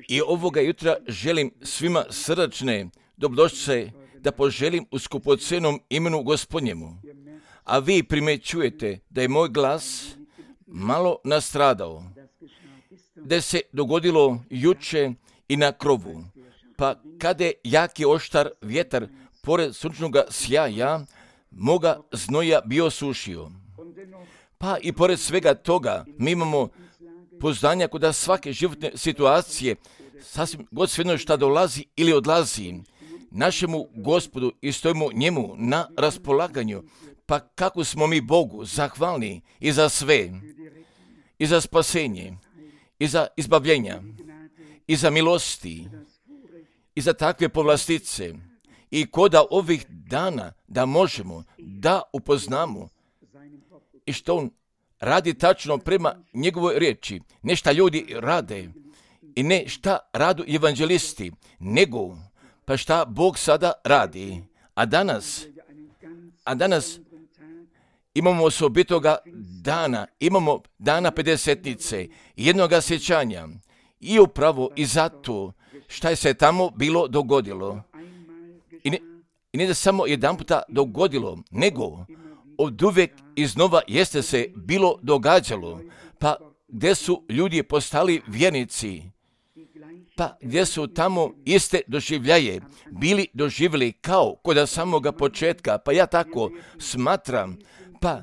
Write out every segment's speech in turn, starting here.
I ovoga jutra želim svima srdačne dobrodošlice da poželim u skupocenom imenu Gospodnjemu. A vi primećujete da je moj glas malo nastradao, da se dogodilo juče i na krovu. Pa kada je jaki oštar vjetar pored sunčnog sjaja, moga znoja bio sušio. Pa i pored svega toga mi imamo poznanja kod svake životne situacije, sasvim god svejedno šta dolazi ili odlazi, našemu Gospodu i stojimo njemu na raspolaganju. Pa kako smo mi Bogu zahvalni i za sve, i za spasenje, i za izbavljenja, i za milosti, i za takve povlastice. I koda ovih dana da možemo da upoznamo i što on radi tačno prema njegovoj riječi, ne šta ljudi rade i ne šta radu evanđelisti, nego pa šta Bog sada radi. A danas imamo osobitoga dana, imamo dana Pedesetnice, jednoga sjećanja i upravo i zato šta je se tamo bilo dogodilo. I ne da samo jedan puta dogodilo, nego od uvijek iznova jeste se bilo događalo, pa gdje su ljudi postali vjernici, pa gdje su tamo iste doživljaje bili doživjeli kao kod samoga početka, pa ja tako smatram, pa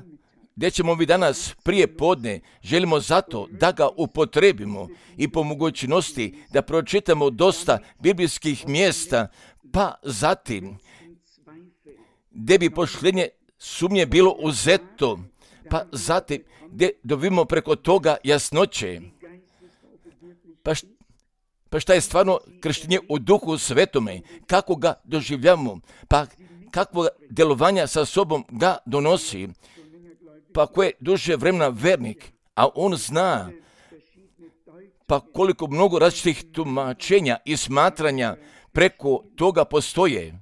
gdje ćemo vi danas prije podne, želimo zato da ga upotrebimo i po mogućnosti da pročitamo dosta biblijskih mjesta, pa zatim gdje bi poštenje sumnje bilo uzeto, pa zatim gdje dobimo preko toga jasnoće. Pa šta je stvarno krštenje u Duhu Svetome, kako ga doživljamo, pa kakvo djelovanja sa sobom ga donosi, pa ko je duže vremena vernik, a on zna, pa koliko mnogo različitih tumačenja i smatranja preko toga postoje,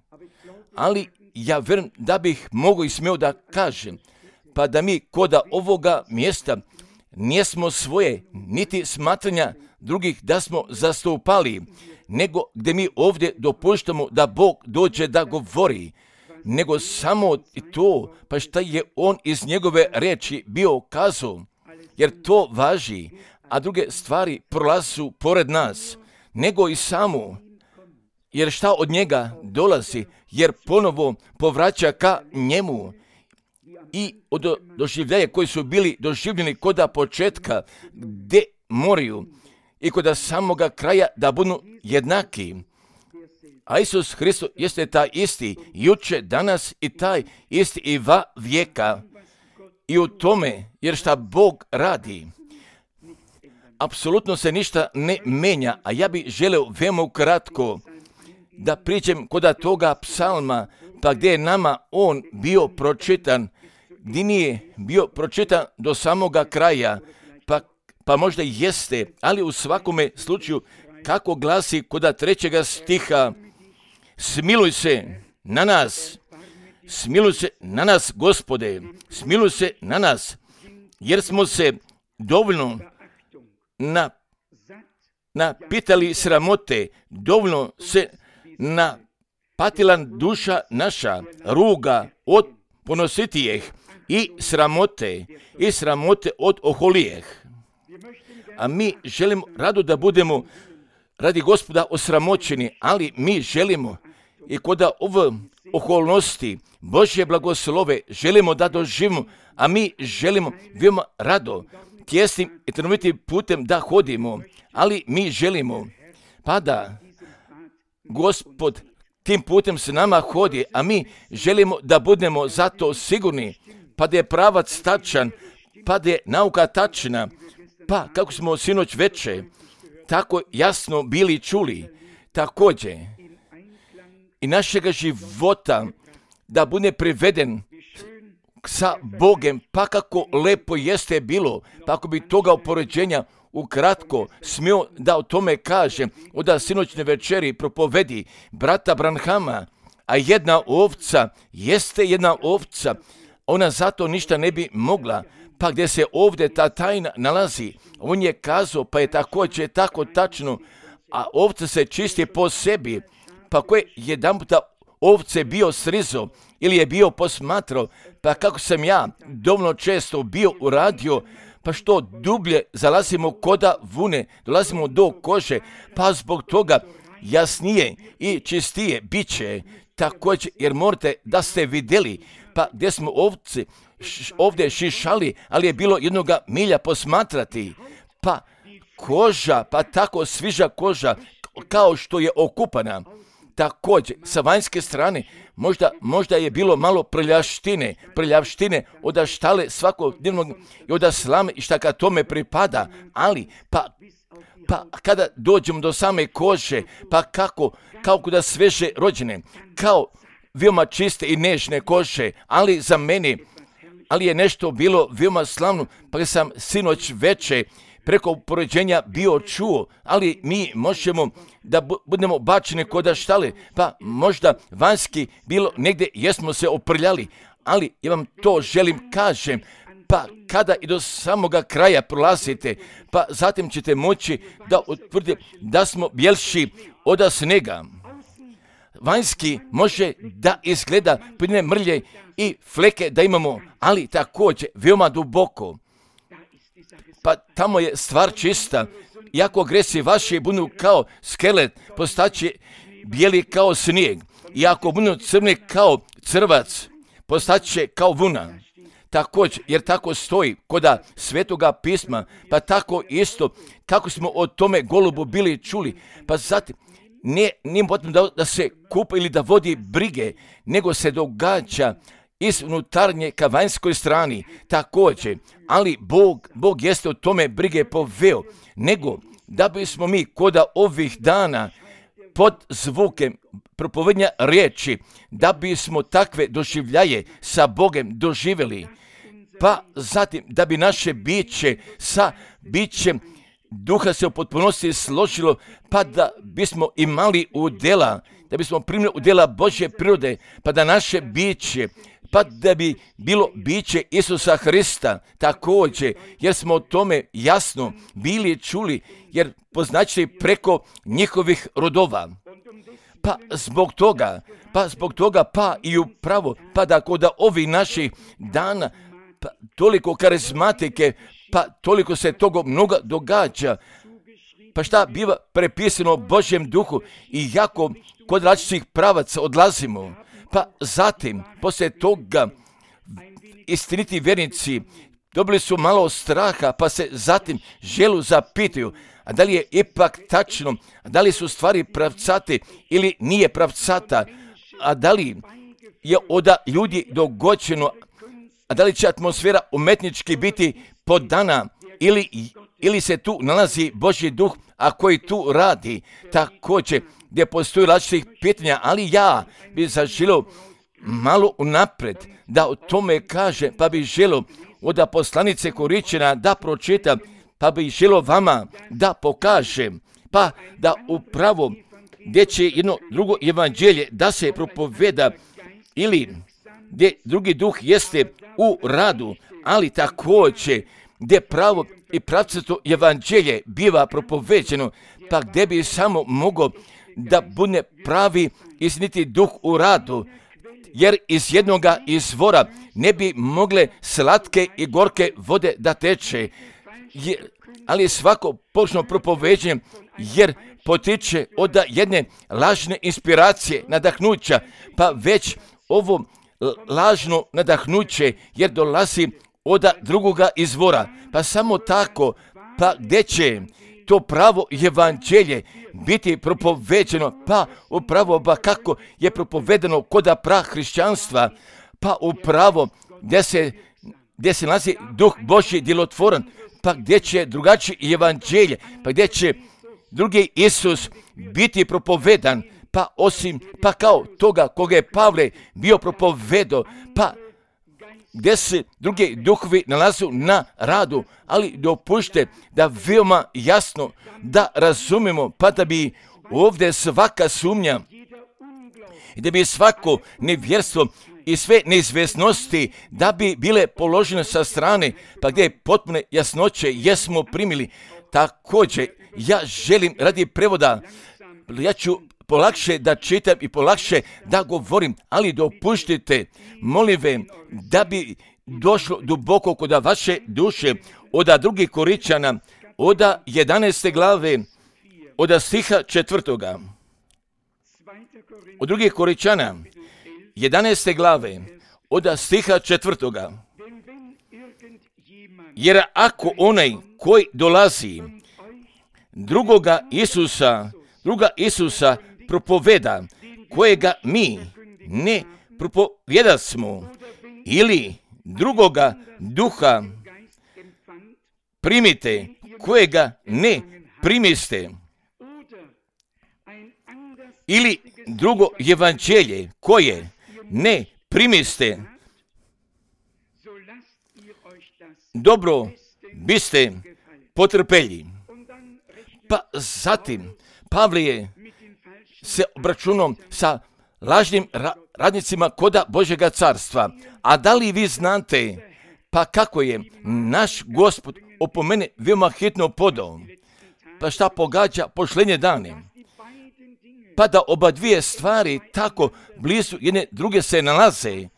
ali ja vjerujem da bih mogao i smio da kažem, pa da mi koda ovoga mjesta nismo svoje, niti smatranja drugih da smo zastupali, nego gdje mi ovdje dopuštamo da Bog dođe da govori, nego samo to, pa šta je on iz njegove riječi bio kazao, jer to važi, a druge stvari prolazu pored nas, nego i samo, jer šta od njega dolazi, jer ponovo povraća ka njemu i od doživljaja koji su bili doživljeni koda početka, gdje moraju i kod samoga kraja da budu jednaki. A Isus Hristos jeste taj isti juče, danas i taj isti i va vijeka. I u tome, jer šta Bog radi, apsolutno se ništa ne menja, a ja bih želeo veoma kratko da pričam koda toga psalma, pa gdje je nama on bio pročitan, gdje nije bio pročitan do samoga kraja, pa možda jeste, ali u svakome slučaju kako glasi koda 3. stiha, smiluj se na nas, Gospode, smiluj se na nas, jer smo se dovoljno napitali sramote, dovoljno se napatila duša naša, ruga od ponositijeh i sramote od oholijeh. A mi želimo rado da budemo radi Gospoda osramoćeni, ali mi želimo i kod ove okolnosti Božje blagoslove želimo da doživimo, a mi želimo veoma rado tjesnim i trnovitim putem da hodimo, ali mi želimo pa da Gospod tim putem s nama hodi, a mi želimo da budemo zato sigurni, pa da je pravac tačan, pa da je nauka tačna, pa kako smo sinoć veče tako jasno bili čuli, također i našega života da bude priveden sa Bogem, pa kako lepo jeste bilo, pa ako bi toga upoređenja ukratko smio da o tome kažem, od sinoćne večeri propovedi brata Branhama, a jedna ovca, ona zato ništa ne bi mogla, pa gdje se ovdje ta tajna nalazi, on je kazao, pa je također tako tačno, a ovce se čisti po sebi, pa ko je jedan puta ovce bio srizo ili je bio posmatrao, pa kako sam ja dovoljno često bio uradio, pa što dublje zalazimo koda vune, dolazimo do kože, pa zbog toga jasnije i čistije bit će također, jer morate da ste vidjeli, pa gdje smo ovce ovdje šišali, ali je bilo jednoga milja posmatrati, pa koža, pa tako sviža koža, kao što je okupana. Također, sa vanjske strane, možda je bilo malo prljavštine od štale svakodnevnog i od slame i šta ka tome pripada, ali pa kada dođemo do same kože, pa kao da sveže rođene, kao veoma čiste i nežne kože, ali za mene, ali je nešto bilo veoma slavno, pa sam sinoć veče preko poređenja bio čuo, ali mi možemo da budemo bačeni kod štale, pa možda vanjski bilo negdje jesmo se oprljali, ali ja vam to želim kažem, pa kada i do samoga kraja prolazite, pa zatim ćete moći da utvrdite da smo bjelši od snega. Vanjski može da izgleda pojedine mrlje i fleke da imamo, ali također veoma duboko. Pa tamo je stvar čista. Iako gresi vaši budu kao skelet, postaće bijeli kao snijeg. Iako budu crni kao crvac, postaće kao vuna. Također, jer tako stoji koda Svetoga pisma, pa tako isto kako smo o tome golubu bili čuli, pa zatim nije potrebno da se kupa ili da vodi brige, nego se događa iz unutarnje ka vanjskoj strani također, ali Bog jeste o tome brige poveo, nego da bismo mi koda ovih dana pod zvukem propovednja riječi, da bismo takve doživljaje sa Bogem doživjeli, pa zatim da bi naše biće sa bićem duha se u potpunosti složilo, pa da bismo imali udjela, da bismo primili udjela Božje prirode, pa da naše biće, pa da bi bilo biće Isusa Hrista također, jer smo o tome jasno bili čuli, jer poznaći preko njihovih rodova. Pa zbog toga, pa i upravo, pa da kod ovih naših dana, pa toliko karizmatike, pa toliko se toga mnogo događa, pa šta biva prepisano Božjem duhu i jako kod različitih pravaca odlazimo, pa zatim, poslije toga, istiniti vjernici dobili su malo straha, pa se zatim želu zapitaju, a da li je ipak tačno, a da li su stvari pravcate ili nije pravcata, a da li je od ljudi dogođeno, a da li će atmosfera umetnički biti podana ili se tu nalazi Božji duh, a koji tu radi također, gdje postoji različitih pitanja, ali ja bih zaželio malo unaprijed da o tome kaže, pa bih želio od poslanice Koričina da pročita, pa bih želio vama da pokažem, pa da upravo gdje će jedno drugo evanđelje da se propoveda ili gdje drugi duh jeste u radu, ali također gdje pravo i pravcato evanđelje biva propoveđeno, pa gdje bi samo mogao da bude pravi istiniti duh u radu, jer iz jednoga izvora ne bi mogle slatke i gorke vode da teče, ali svako pogrešno propoveđenje, jer potiče od jedne lažne inspiracije, nadahnuća, pa već ovo lažno nadahnuće, jer dolazi od drugoga izvora, pa samo tako, pa gdje će to pravo evanđelje biti propoveđeno, pa upravo kako je propovedeno koda prahrišćanstva, pa upravo gdje se nalazi duh Božji djelotvoran, pa gdje će drugačiji evanđelje, pa gdje će drugi Isus biti propovedan, pa osim, pa kao toga koga je Pavle bio propovedao, pa gdje se drugi duhovi nalazu na radu, ali dopušte da veoma jasno da razumemo, pa da bi ovdje svaka sumnja i da bi svako nevjerstvo i sve neizvjesnosti da bi bile položene sa strane, pa gdje je potpune jasnoće jesmo primili. Također, ja želim radi prevoda, ja ću polakše da čitam i polakše da govorim, ali dopuštite, molim ve, da bi došlo duboko kod vaše duše, od 2. Korinčana, od 11. glave, od stiha 4. Od 2. Korinčana, 11. glave, od stiha 4. Jer ako onaj koji dolazi druga Isusa propoveda, kojega mi ne propovijedasmo, ili drugoga duha primite, kojega ne primiste, ili drugo evanđelje koje ne primiste, dobro biste potrpeli. Pa zatim Pavle je se obračunao sa lažnim radnicima koda Božjega carstva. A da li vi znate pa kako je naš Gospod opomene veoma hitno podao? Pa šta pogađa pošlenje dane? Pa da oba dvije stvari tako blizu jedne druge se nalaze.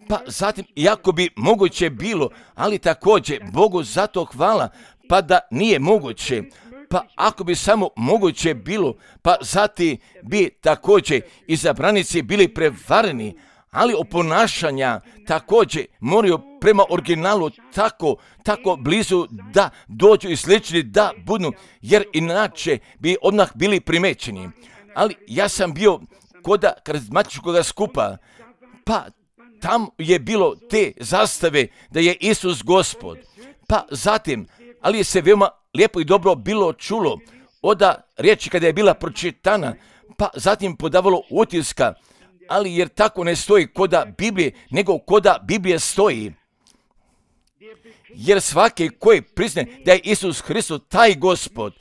Pa zatim, iako bi moguće bilo, ali također Bogu zato hvala, pa da nije moguće. Pa ako bi samo moguće bilo, pa zatim bi također izabranici bili prevareni, ali oponašanja također moraju prema originalu tako blizu da dođu i slični da budu, jer inače bi odmah bili primećeni. Ali ja sam bio kod karizmatičkog skupa, pa tam je bilo te zastave da je Isus Gospod. Pa zatim, ali je se veoma lijepo i dobro bilo čulo od riječi kada je bila pročitana, pa zatim podavalo utiska, ali jer tako ne stoji koda Biblije, nego koda Biblije stoji. Jer svaki koji prizne da je Isus Hristos taj Gospod,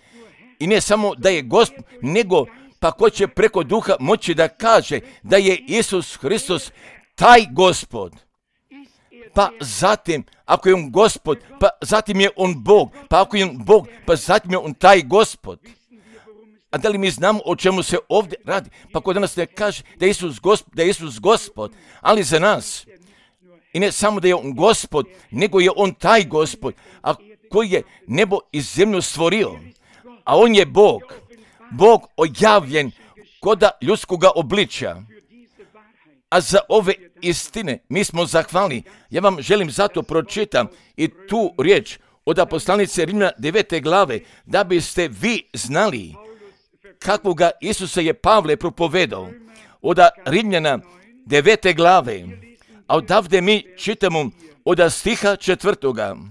i ne samo da je Gospod, nego pa ko će preko duha moći da kaže da je Isus Hristos taj Gospod. Pa zatim, ako je on Gospod, pa zatim je on Bog, pa ako je on Bog, pa zatim je on taj Gospod. A da li mi znamo o čemu se ovdje radi? Pa ko danas ne kaže da je Isus Gospod, ali za nas, i ne samo da je on Gospod, nego je on taj Gospod, a koji je nebo i zemlju stvorio. A on je Bog ojavljen koda ljudskoga obličja. A za ove istine mi smo zahvalni. Ja vam želim zato pročitam i tu riječ od poslanice Rimljana 9. glave, da biste vi znali kakvoga Isusa je Pavle propovedao. Od Rimljana 9. glave, a odavde mi čitamo od stiha 4.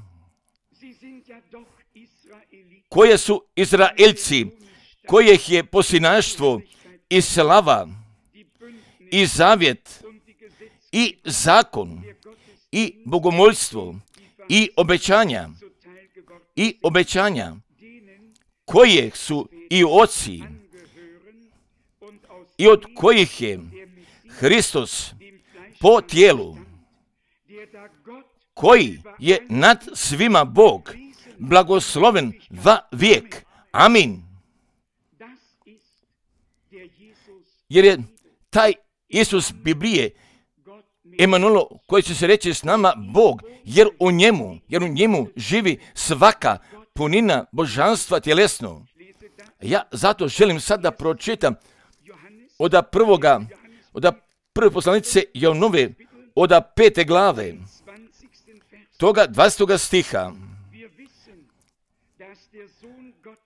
Koje su Izraelci, kojih je posinaštvo i slava i zavjet i zakon i bogomoljstvo i obećanja koje su i oci i od kojih je Hristos po tijelu, koji je nad svima Bog, blagosloven va vijek. Amin. Jer je taj Isus Biblije, Emanuel, koji će se reći s nama Bog, jer u njemu živi svaka punina božanstva tjelesno. Ja zato želim sad da pročitam od prve poslanice Jovanove, od 5. glave, toga 20. stiha.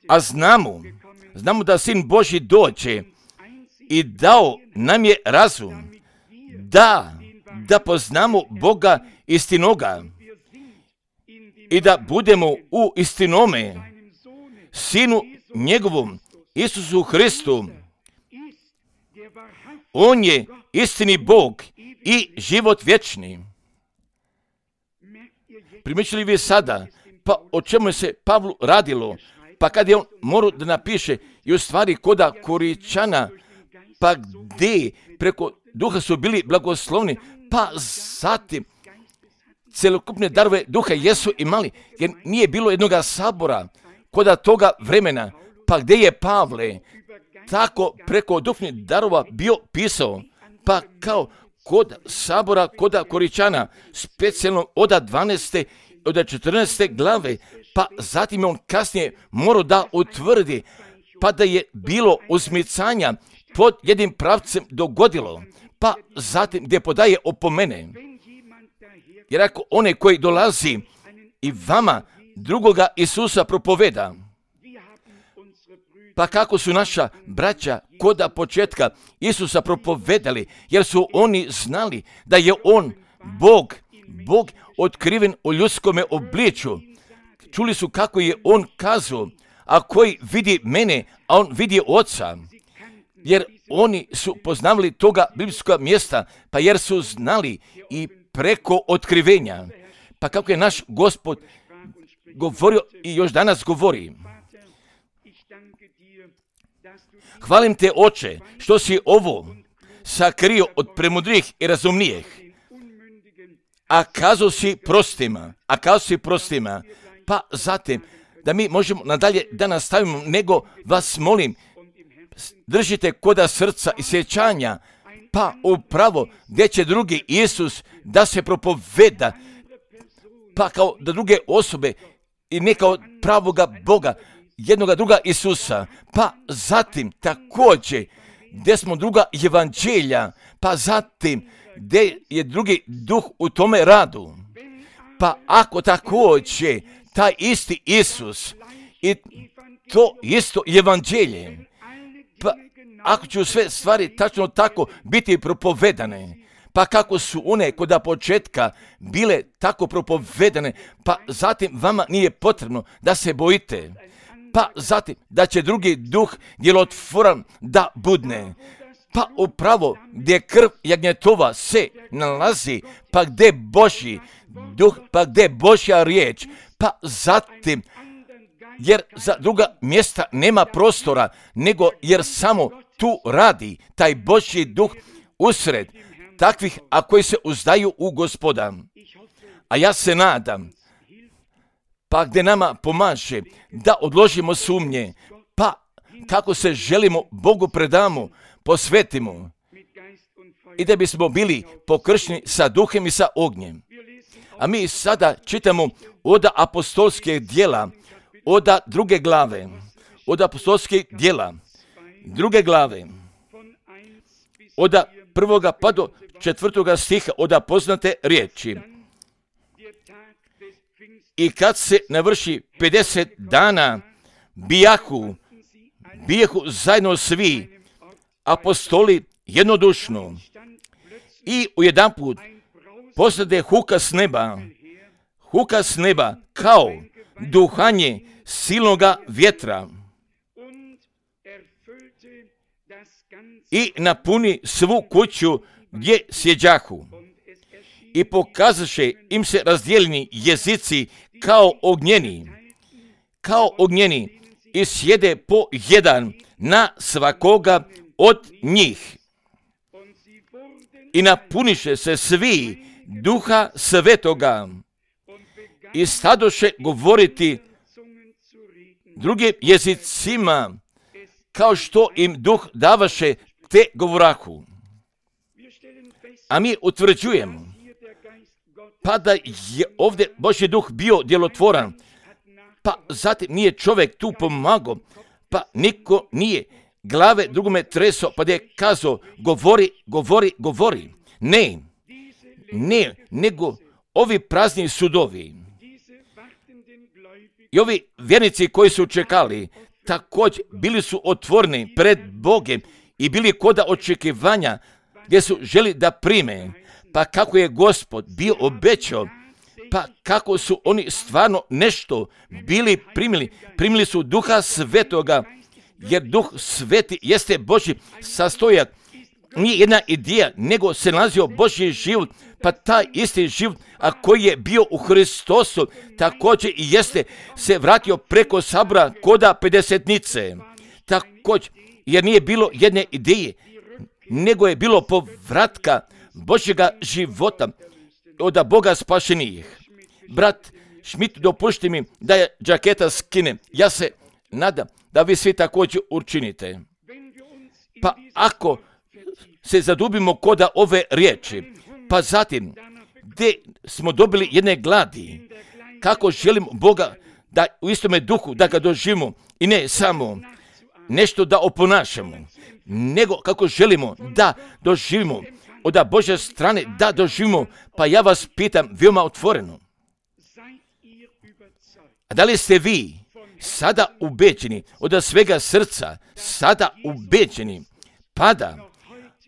A znamo da Sin Božji dođe i dao nam je razum, da poznamo Boga istinoga i da budemo u istinome, Sinu njegovom, Isusu Hristu. On je istini Bog i život vječni. Primijetili vi sada, pa o čemu se Pavlu radilo, pa kad je on morao da napiše i u stvari koda Korinčana, pa gdje preko duha su bili blagoslovni, pa zatim celokupne darove duha jesu imali, jer nije bilo jednoga sabora kod toga vremena, pa gdje je Pavle tako preko duhovnih darova bio pisao, pa kao kod sabora, kod Koričana, specijalno od 12. od 14. glave, pa zatim on kasnije morao da utvrdi, pa da je bilo uzmicanja pod jednim pravcem dogodilo, pa zatim gdje podaje opomene. Jer ako onaj koji dolazi i vama drugoga Isusa propoveda, pa kako su naša braća koda početka Isusa propovedali, jer su oni znali da je on Bog otkriven u ljudskome obličju. Čuli su kako je on kazao, a koji vidi mene, a on vidi Oca. Jer oni su poznavali toga biblijskog mjesta, pa jer su znali i preko otkrivenja. Pa kako je naš Gospod govorio i još danas govori. Hvalim te, Oče, što si ovo sakrio od premudrijih i razumnijih, a kazao si prostima. Pa zatim, da mi možemo nadalje da nastavimo, nego vas molim, držite koda srca i sjećanja, pa upravo gdje će drugi Isus da se propoveda, pa kao da druge osobe i ne kao pravoga Boga, jednoga druga Isusa, pa zatim također gdje smo druga evanđelja, pa zatim gdje je drugi duh u tome radu. Pa ako također taj isti Isus i to isto evanđelje, pa ako će sve stvari tačno tako biti propovedane, pa kako su one koda početka bile tako propovedane, pa zatim vama nije potrebno da se bojite, pa zatim da će drugi duh djelotvoran da budne, pa upravo gdje krv jagnjetova se nalazi, pa gdje Božji duh, pa gdje Božja riječ, pa zatim jer za druga mjesta nema prostora, nego jer samo tu radi taj Božji duh usred takvih, a koji se uzdaju u Gospoda. A ja se nadam, pa gdje nama pomaže da odložimo sumnje, pa kako se želimo Bogu predamo, posvetimo i da bismo bili pokršteni sa duhem i sa ognjem. A mi sada čitamo od apostolskih djela, od druge glave, od apostolskih djela, druge glave, od 1. pa do 4. stiha, od poznate riječi. I kad se navrši 50 dana, bijahu zajedno svi apostoli jednodušno i ujedanput posade huka s neba kao duhanje silnoga vjetra i napuni svu kuću gdje sjeđahu. I pokazaše im se razdijeljeni jezici kao ognjeni i sjede po jedan na svakoga od njih. I napuniše se svi Duha Svetoga i stadoše govoriti drugim jezicima, kao što im Duh davaše, te govorahu. A mi utvrđujemo, pa da je ovdje Božji duh bio djelotvoran, pa zatim nije čovjek tu pomagao, pa niko nije glave drugome treso, pa da je kazao govori. Ne, nego ovi prazni sudovi i ovi vjernici koji su čekali, također bili su otvoreni pred Bogem i bili koda očekivanja gdje su želi da prime, pa kako je Gospod bio obećao, pa kako su oni stvarno nešto bili primili su Duha Svetoga, jer Duh Sveti jeste Božji sastojak, nije jedna ideja, nego se nalazio Božji život, pa taj isti život, a koji je bio u Hristosu, također i jeste se vratio preko sabora koda pedesetnice. Također, jer nije bilo jedne ideje, nego je bilo povratka Božjega života od Boga spašenih. Brat Schmidt, dopušti mi da je džaketa skine. Ja se nadam da vi svi također učinite. Pa ako se zadubimo koda ove riječi, pa zatim gdje smo dobili jedne gladi, kako želimo Boga da u istome duhu da ga doživimo i ne samo nešto da oponašamo, nego kako želimo da doživimo od Božje strane, da doživimo. Pa ja vas pitam veoma otvoreno, a da li ste vi sada ubeđeni od svega srca, sada ubeđeni, pa da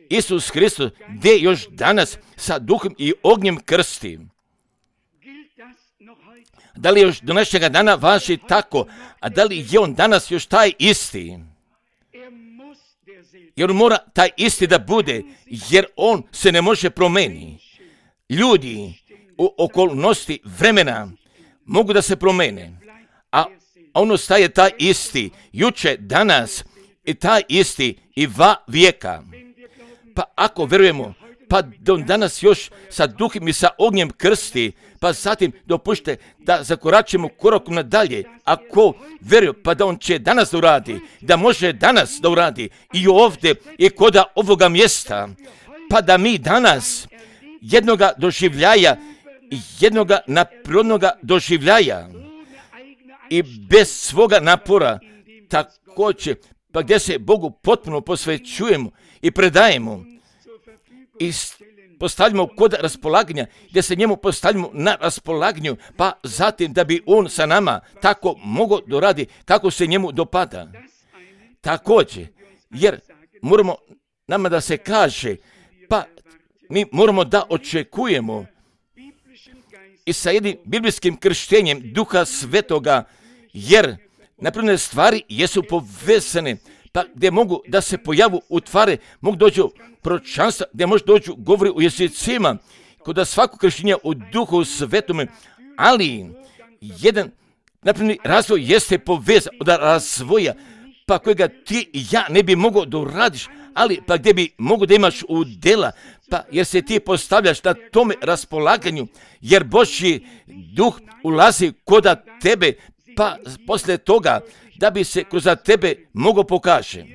Isus Hristos gdje još danas sa duhom i ognjem krsti? Da li još do našega dana važi tako? A da li je on danas još taj isti? Jer on mora taj isti da bude, jer on se ne može promijeniti. Ljudi u okolnosti vremena mogu da se promijene, a on ostaje taj isti, juče, danas i taj isti i va vijeka. Pa ako verujemo, pa do danas još sa duhom i sa ognjem krsti, pa zatim dopušte da zakoračimo korakom nadalje. Ako veruje, pa da on će danas da uradi, da može danas da uradi i ovdje i koda ovoga mjesta, pa da mi danas jednoga doživljaja, jednoga naprirodnoga doživljaja i bez svoga napora također, pa gdje se Bogu potpuno posvećujemo i predajemo i postavljamo kod raspolaganja, gdje se njemu postavljamo na raspolaganju, pa zatim da bi on sa nama tako mogao doradi kako se njemu dopada. Također, jer moramo nama da se kaže, pa mi moramo da očekujemo i sa jednim biblijskim krštenjem Duha Svetoga, jer naprimjer stvari jesu povezane, pa gdje mogu da se pojavu utvare, mogu dođu proročanstva, gdje može dođu govori u jezicima, kod svako krštenje u Duhu Svetome, ali jedan naprimjer razvoj jeste povezan od razvoja, pa kojega ti i ja ne bi mogao da uradiš, ali pa gdje bi mogu da imaš udjela, pa jer se ti postavljaš na tome raspolaganju, jer Božji duh ulazi koda tebe, pa poslije toga da bi se kroz tebe mogao pokaže.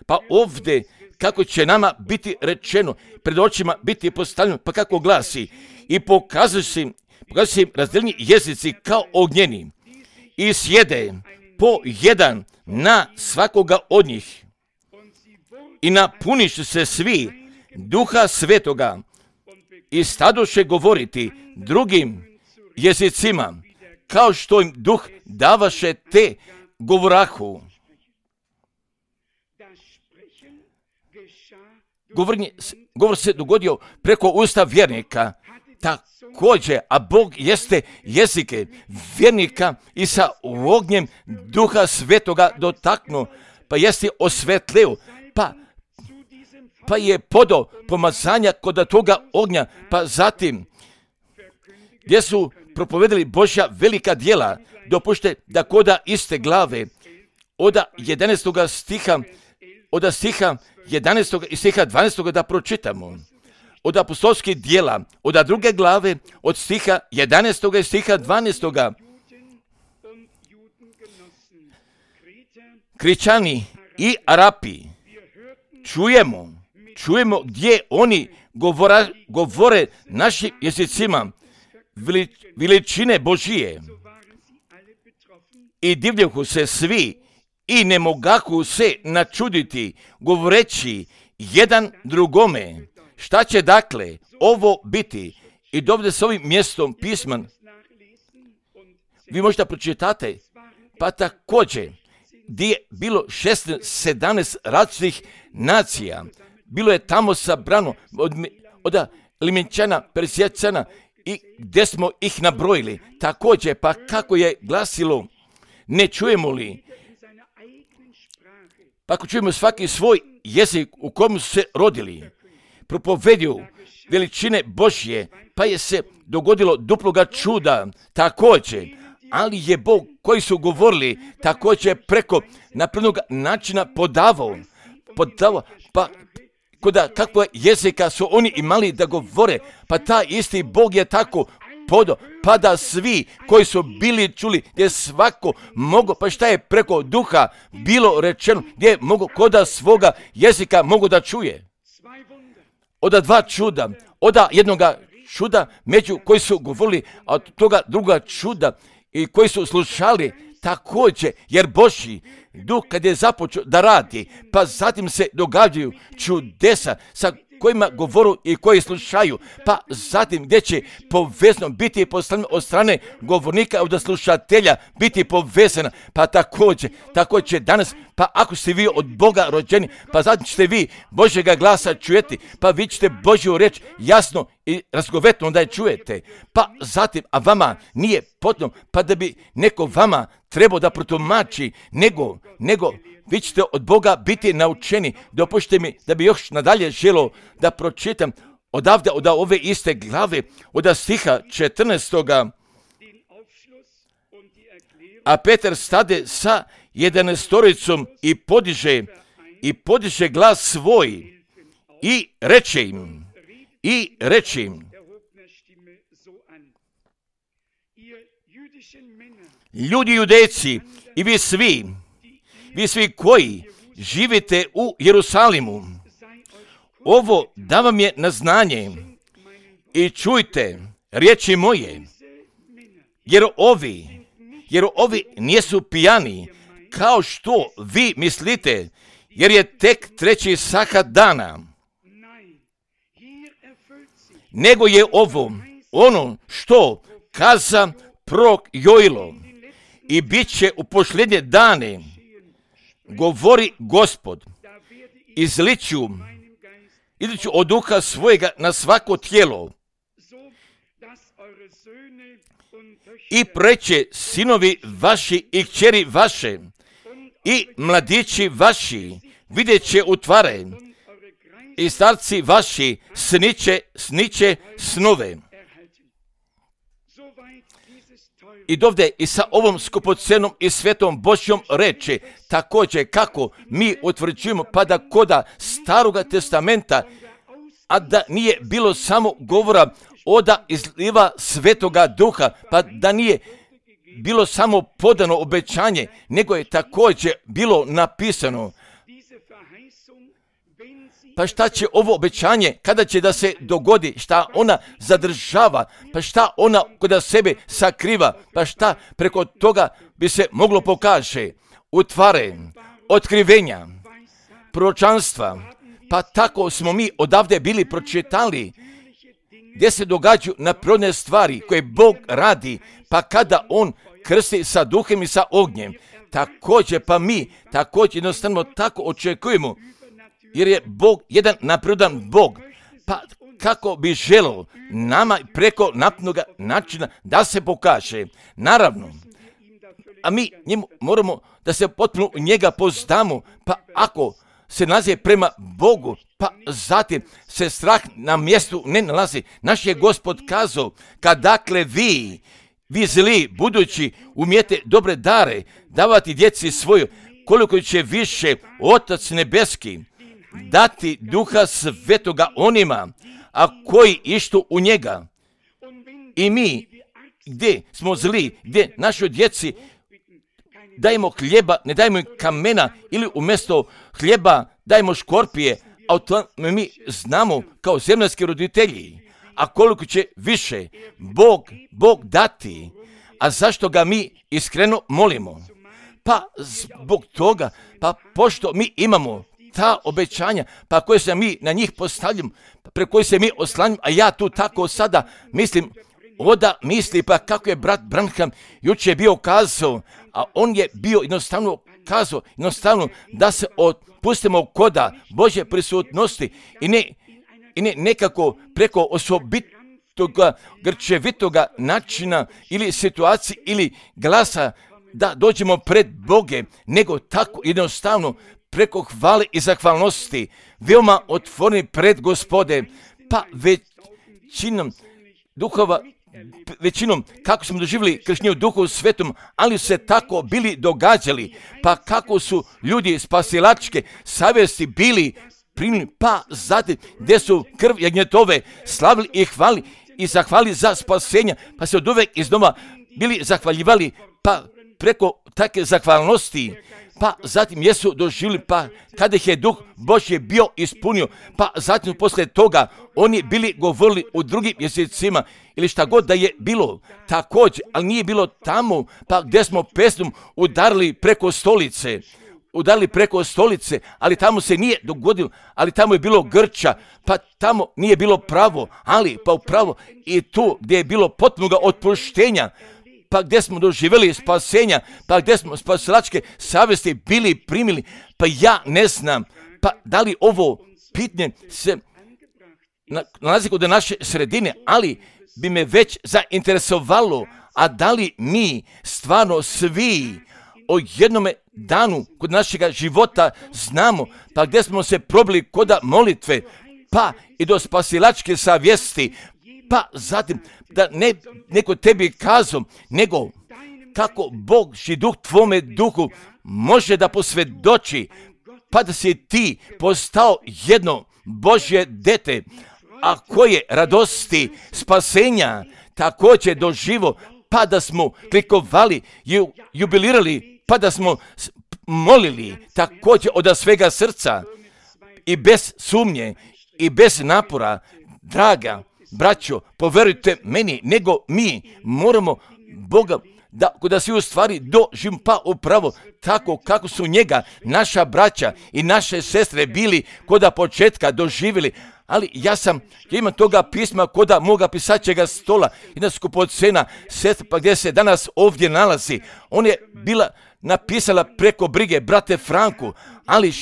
Pa ovdje kako će nama biti rečeno, pred očima biti postavljeno, pa kako glasi, i pokazuju se razdeljeni jezici kao ognjeni i sjede po jedan na svakoga od njih i napuniše se svi Duha Svetoga i stadoše govoriti drugim jezicima, kao što im Duh davaše te govorahu. Govor se dogodio preko usta vjernika, također, a Bog jeste jezike vjernika i sa ognjem Duha Svetoga dotaknuo, pa jeste osvetlio, pa je podao pomazanja kod toga ognja, pa zatim gdje su propovedali Božja velika djela, dopušte da koda iste glave od 11. stiha, od stiha 11. i stiha 12. da pročitamo. Od apostolskih djela, od druge glave, od stiha 11. i stiha 12. Kričani i Arapi, čujemo gdje oni govore našim jezicima veličine Božije. I divljahu se svi i ne mogahu se načuditi, govoreći jedan drugome, šta će dakle ovo biti? I dovde s ovim mjestom pisman, vi možete pročitate, pa također, gdje je bilo 16-17 različitih nacija, bilo je tamo sabrano od Limenčana, Persijacana, i gdje smo ih nabrojili. Također, pa kako je glasilo, ne čujemo li? Pa ako čujemo svaki svoj jezik u komu su se rodili, propovedio veličine Božje, pa je se dogodilo duploga čuda također, ali je Bog koji su govorili također preko naprednog načina podavao, pa Koda kakva jezika su oni imali da govore, pa taj isti Bog je tako podo, pa da svi koji su bili čuli, gdje svako mogo, pa šta je preko duha bilo rečeno, gdje mogu koda svoga jezika mogu da čuje. Oda dva čuda, oda jednoga čuda među koji su govorili, a od toga druga čuda i koji su slušali također, jer Božji duh kad je započeo da radi, pa zatim se događaju čudesa sa kojima govoru i koji slušaju, pa zatim gdje će povezano biti poslano od strane govornika od slušatelja biti povezana, pa također danas, pa ako ste vi od Boga rođeni, pa zatim ćete vi Božjega glasa čujeti, pa vi ćete Božju reč jasno i razgovetno da je čujete, pa zatim, a vama nije potrebno, pa da bi neko vama trebao da protumači, nego vi ćete od Boga biti naučeni. Dopustite mi da bi još nadalje želio da pročitam odavde od ove iste glave, od stiha 14. A Petar stade sa 11 i podiže glas svoj i reče im, ljudi judejci i vi svi koji živite u Jerusalimu, ovo da vam je na znanje i čujte riječi moje, jer ovi nisu pijani kao što vi mislite, jer je tek 3. sahat dana, nego je ovo ono što kaza prorok Joilo, i bit će u posljednje dane, govori Gospod, izliću od duha svojega na svako tijelo i preće sinovi vaši i kćeri vaše i mladići vaši vidjet će u tvare i starci vaši sniće snove. I dovde i sa ovom skupocenom i svetom Božjom reči također kako mi utvrđujemo, pa da koda Staroga testamenta, a da nije bilo samo govora oda izliva svetoga duha, pa da nije bilo samo podano obećanje, nego je također bilo napisano. Pa šta će ovo obećanje, kada će da se dogodi, šta ona zadržava, pa šta ona kod sebe sakriva, pa šta preko toga bi se moglo pokaže, utvare, otkrivenja, proročanstva, pa tako smo mi odavde bili pročitali, gdje se događaju naprodne stvari koje Bog radi, pa kada On krsti sa duhem i sa ognjem, također pa mi također jednostavno tako očekujemo, jer je Bog jedan napredan Bog, pa kako bi želio nama preko naprednoga načina da se pokaže. Naravno, a mi njemu moramo da se potpuno u njega poznamo, pa ako se nalazi prema Bogu, pa zatim se strah na mjestu ne nalazi. Naš je Gospod kazao, kad dakle vi zli, budući umijete dobre dare davati djeci svoju, koliko će više Otac nebeski dati duha svetoga onima, a koji ištu u njega. I mi, gdje smo zli, gdje našoj djeci dajemo hljeba, ne dajemo im kamena, ili umjesto hljeba dajemo škorpije, a to mi znamo kao zemaljski roditelji. A koliko će više Bog dati, a zašto ga mi iskreno molimo? Pa zbog toga, pa pošto mi imamo ta obećanja, pa koje se mi na njih postavljamo, preko koje se mi oslanjamo, a ja tu tako sada mislim, misli, pa kako je brat Branham jučer bio kazao, a on je bio jednostavno kazao, da se otpustimo koda Božje prisutnosti i ne nekako preko osobitoga, grčevitoga načina ili situacije ili glasa da dođemo pred Boge, nego tako jednostavno preko hvale i zahvalnosti, veoma otvoreni pred Gospode, pa većinom kako smo doživjeli krštenje u Duhu Svetom, ali se tako bili događali, pa kako su ljudi spasilačke savjesti bili primili, pa zatim gdje su krv jagnjetove slavili i hvali i zahvali za spasenja, pa se od uvek iznova bili zahvaljivali, pa preko takve zahvalnosti, pa zatim jesu doživjeli, pa kada ih je Duh Božji bio ispunio, pa zatim posle toga oni bili govorili u drugim jezicima ili šta god da je bilo također, ali nije bilo tamo, pa gdje smo pesmom udarili preko stolice, ali tamo se nije dogodilo, ali tamo je bilo grča, pa tamo nije bilo pravo, ali pa upravo i tu gdje je bilo potpunoga otpuštenja, pa gdje smo doživjeli spasenja, pa gdje smo spasilačke savjesti bili primili, pa ja ne znam, pa da li ovo pitanje se nalazi kod naše sredine, ali bi me već zainteresovalo, a da li mi stvarno svi o jednome danu kod našega života znamo, pa gdje smo se probili kod molitve, pa i do spasilačke savjesti, pa zatim da ne neko tebi kazao, nego kako Božji duh tvome duhu može da posvjedoči, pa da si ti postao jedno Božje dete, a koje radosti spasenja također doživo, pa da smo klikovali, jubilirali, pa da smo molili također od svega srca i bez sumnje i bez napora. Draga braćo, poverujte meni, nego mi moramo Boga da svi u stvari doživimo, pa upravo tako kako su njega naša braća i naše sestre bili koda početka doživjeli. Ali ja imam toga pisma koda moga pisaćega stola, jedna skupocena sestra, pa gdje se danas ovdje nalazi. On je bila napisala preko brige brate Franku, ali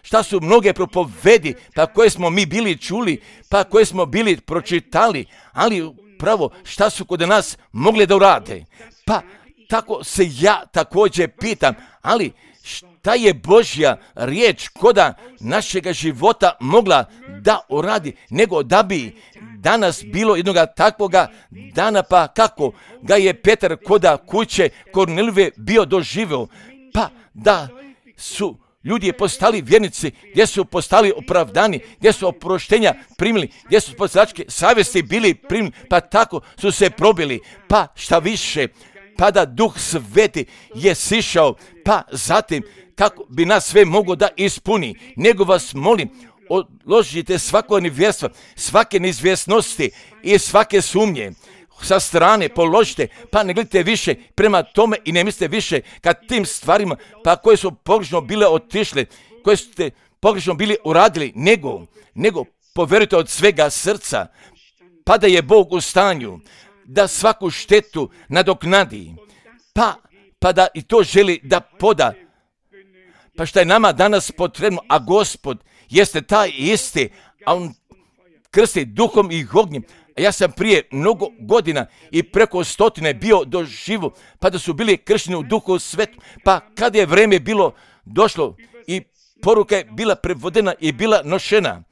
šta su mnoge propovedi, pa koje smo mi bili čuli, pa koje smo bili pročitali, ali pravo šta su kod nas mogli da urade. Pa tako se ja također pitam, ali šta je Božja riječ koda našega života mogla da uradi, nego da bi danas bilo jednoga takvoga dana, pa kako ga je Petar koda kuće Kornelijeve bio doživio, pa da su ljudi postali vjernici, gdje su postali opravdani, gdje su oproštenja primili, gdje su spasilačke savjesti bili primili, pa tako su se probili, pa šta više, pa da Duh Sveti je sišao, pa zatim kako bi nas sve moglo da ispuni, nego vas molim, odložite svako nevjerstvo, svake neizvjesnosti i svake sumnje, sa strane položite, pa ne gledajte više prema tome i ne mislite više kad tim stvarima, pa koje su pogrešno bile otišle, koje ste pogrešno bili uradili, nego poverujte od svega srca, pa da je Bog u stanju da svaku štetu nadoknadi, pa da i to želi da poda. Pa šta je nama danas potrebno, a Gospod jeste taj isti, a on krsti duhom i ognjem. Ja sam prije mnogo godina i preko 100 bio doživo, pa da su bili kršteni u Duhu Svetom, pa kad je vrijeme bilo došlo i poruka je bila prevodena i bila nošena,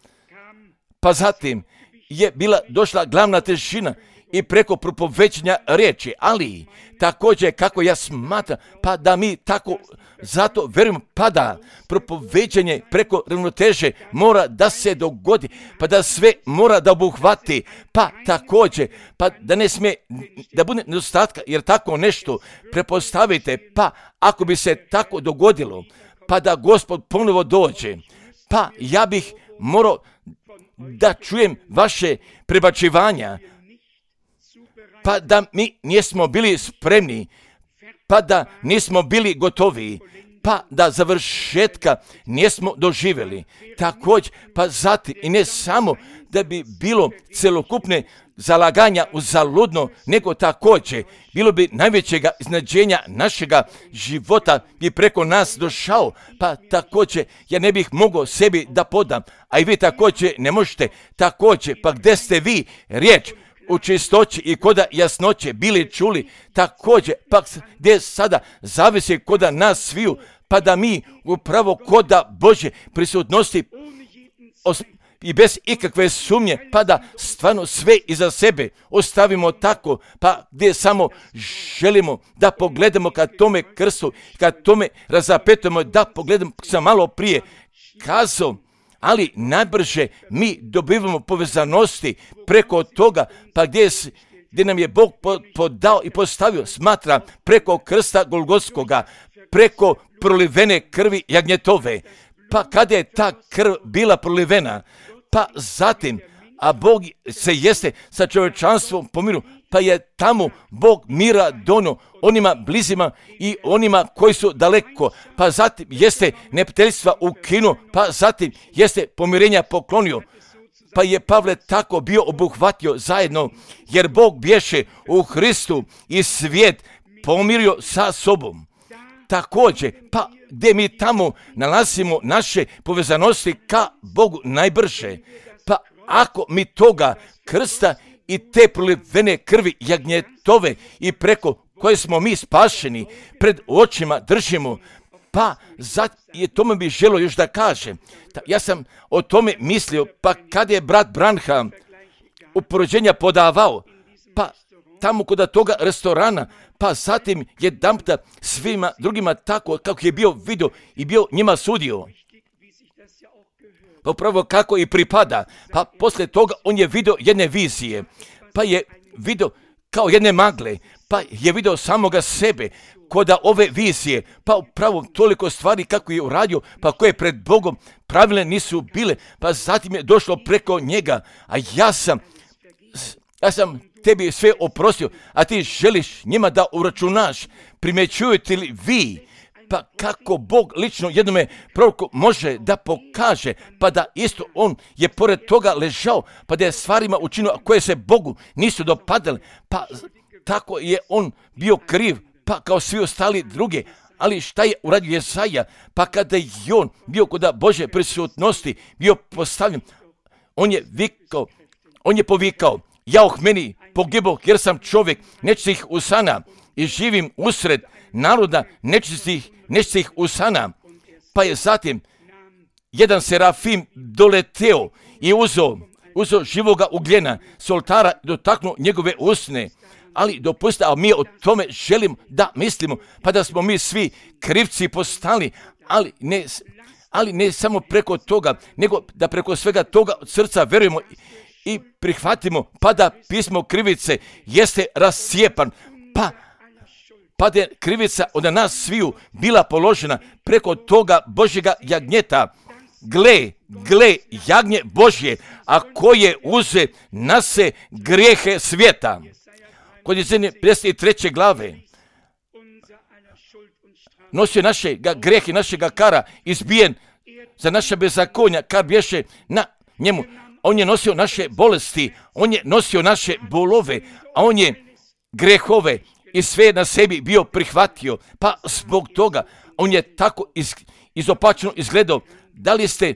pa zatim je bila došla glavna težina i preko propovećanja riječi, ali također kako ja smatram, pa da mi tako zato verujem, pa da propovećanje preko ravnoteže mora da se dogodi, pa da sve mora da obuhvati, pa također, pa da ne smije da bude nedostatka, jer tako nešto prepostavite, pa ako bi se tako dogodilo, pa da Gospod ponovo dođe, pa ja bih morao da čujem vaše prebačivanja, pa da mi nismo bili spremni, pa da nismo bili gotovi, pa da završetka nismo doživjeli. Također, pa zatim i ne samo da bi bilo celokupne zalaganja uzaludno, nego također bilo bi najvećega iznenađenja našega života bi preko nas došao, pa također ja ne bih mogao sebi da podam, a i vi također ne možete, također, pa gdje ste vi riječ u čistoći i koda jasnoće bili čuli, također, pa gdje sada zavisi koda nas sviju, pa da mi upravo koda Božje prisutnosti i bez ikakve sumnje, pa da stvarno sve iza sebe ostavimo tako, pa gdje samo želimo da pogledamo kad tome krstu, kad tome razapetujemo, da pogledamo, sam malo prije kazao, ali najbrže mi dobivamo povezanosti preko toga, pa gdje nam je Bog podao i postavio, smatra, preko krsta Golgotskoga, preko prolivene krvi jagnjetove. Pa kada je ta krv bila prolivena, pa zatim, a Bog se jeste sa čovječanstvom pomiru, pa je tamo Bog mira donio onima blizima i onima koji su daleko, pa zatim jeste neprijateljstva ukinuo, pa zatim jeste pomirenja poklonio. Pa je Pavle tako bio obuhvatio zajedno, jer Bog bješe u Hristu i svijet pomirio sa sobom. Također, pa gdje mi tamo nalazimo naše povezanosti ka Bogu najbrže, pa ako mi toga krsta i te prolivene krvi jagnjetove i preko koje smo mi spašeni pred očima držimo, pa je tome bi želio još da kažem. Ja sam o tome mislio, pa kad je brat Branham upoređenja podavao, pa tamo kod toga restorana, pa zatim jedanputa svima drugima tako kako je bio vidio i bio njima sudio. Pa upravo kako i pripada. Pa poslije toga on je vidio jedne vizije, pa je vidio kao jedne magle, pa je vidio samoga sebe kod ove vizije, pa upravo toliko stvari kako je uradio, pa koje pred Bogom pravilne nisu bile, pa zatim je došlo preko njega, a ja sam tebi sve oprostio, a ti želiš njima da uračunaš. Primjećujete li vi, pa kako Bog lično jednome proroku može da pokaže, pa da isto on je pored toga ležao, pa da je stvarima učinio koje se Bogu nisu dopadale, pa tako je on bio kriv, pa kao svi ostali drugi. Ali šta je uradio Jesaja? Pa kada je on bio kod Božje prisutnosti, bio postavljen, on je povikao, jauh meni pogiboh jer sam čovjek nečistih usana i živim usred naroda nečistih usana. Pa je zatim jedan serafim doleteo i uzeo živoga ugljena s oltara i dotaknuo njegove usne. Ali dopustite, a mi o tome želimo da mislimo, pa da smo mi svi krivci postali, ali ne samo preko toga, nego da preko svega toga od srca verujemo i prihvatimo, pa da pismo krivice jeste rascijepan, pa da je krivica od nas sviju bila položena preko toga Božjega jagnjeta. Gle, jagnje Božje, a koje uze na se grijehe svijeta. Kod Jesaje 53. glave nosio našega grijehe, našega kara, izbijen za naša bezakonja, kar bješe na njemu. On je nosio naše bolesti, on je nosio naše bolove, a on je grehove i sve na sebi bio prihvatio. Pa zbog toga on je tako izopačeno izgledao. Da li ste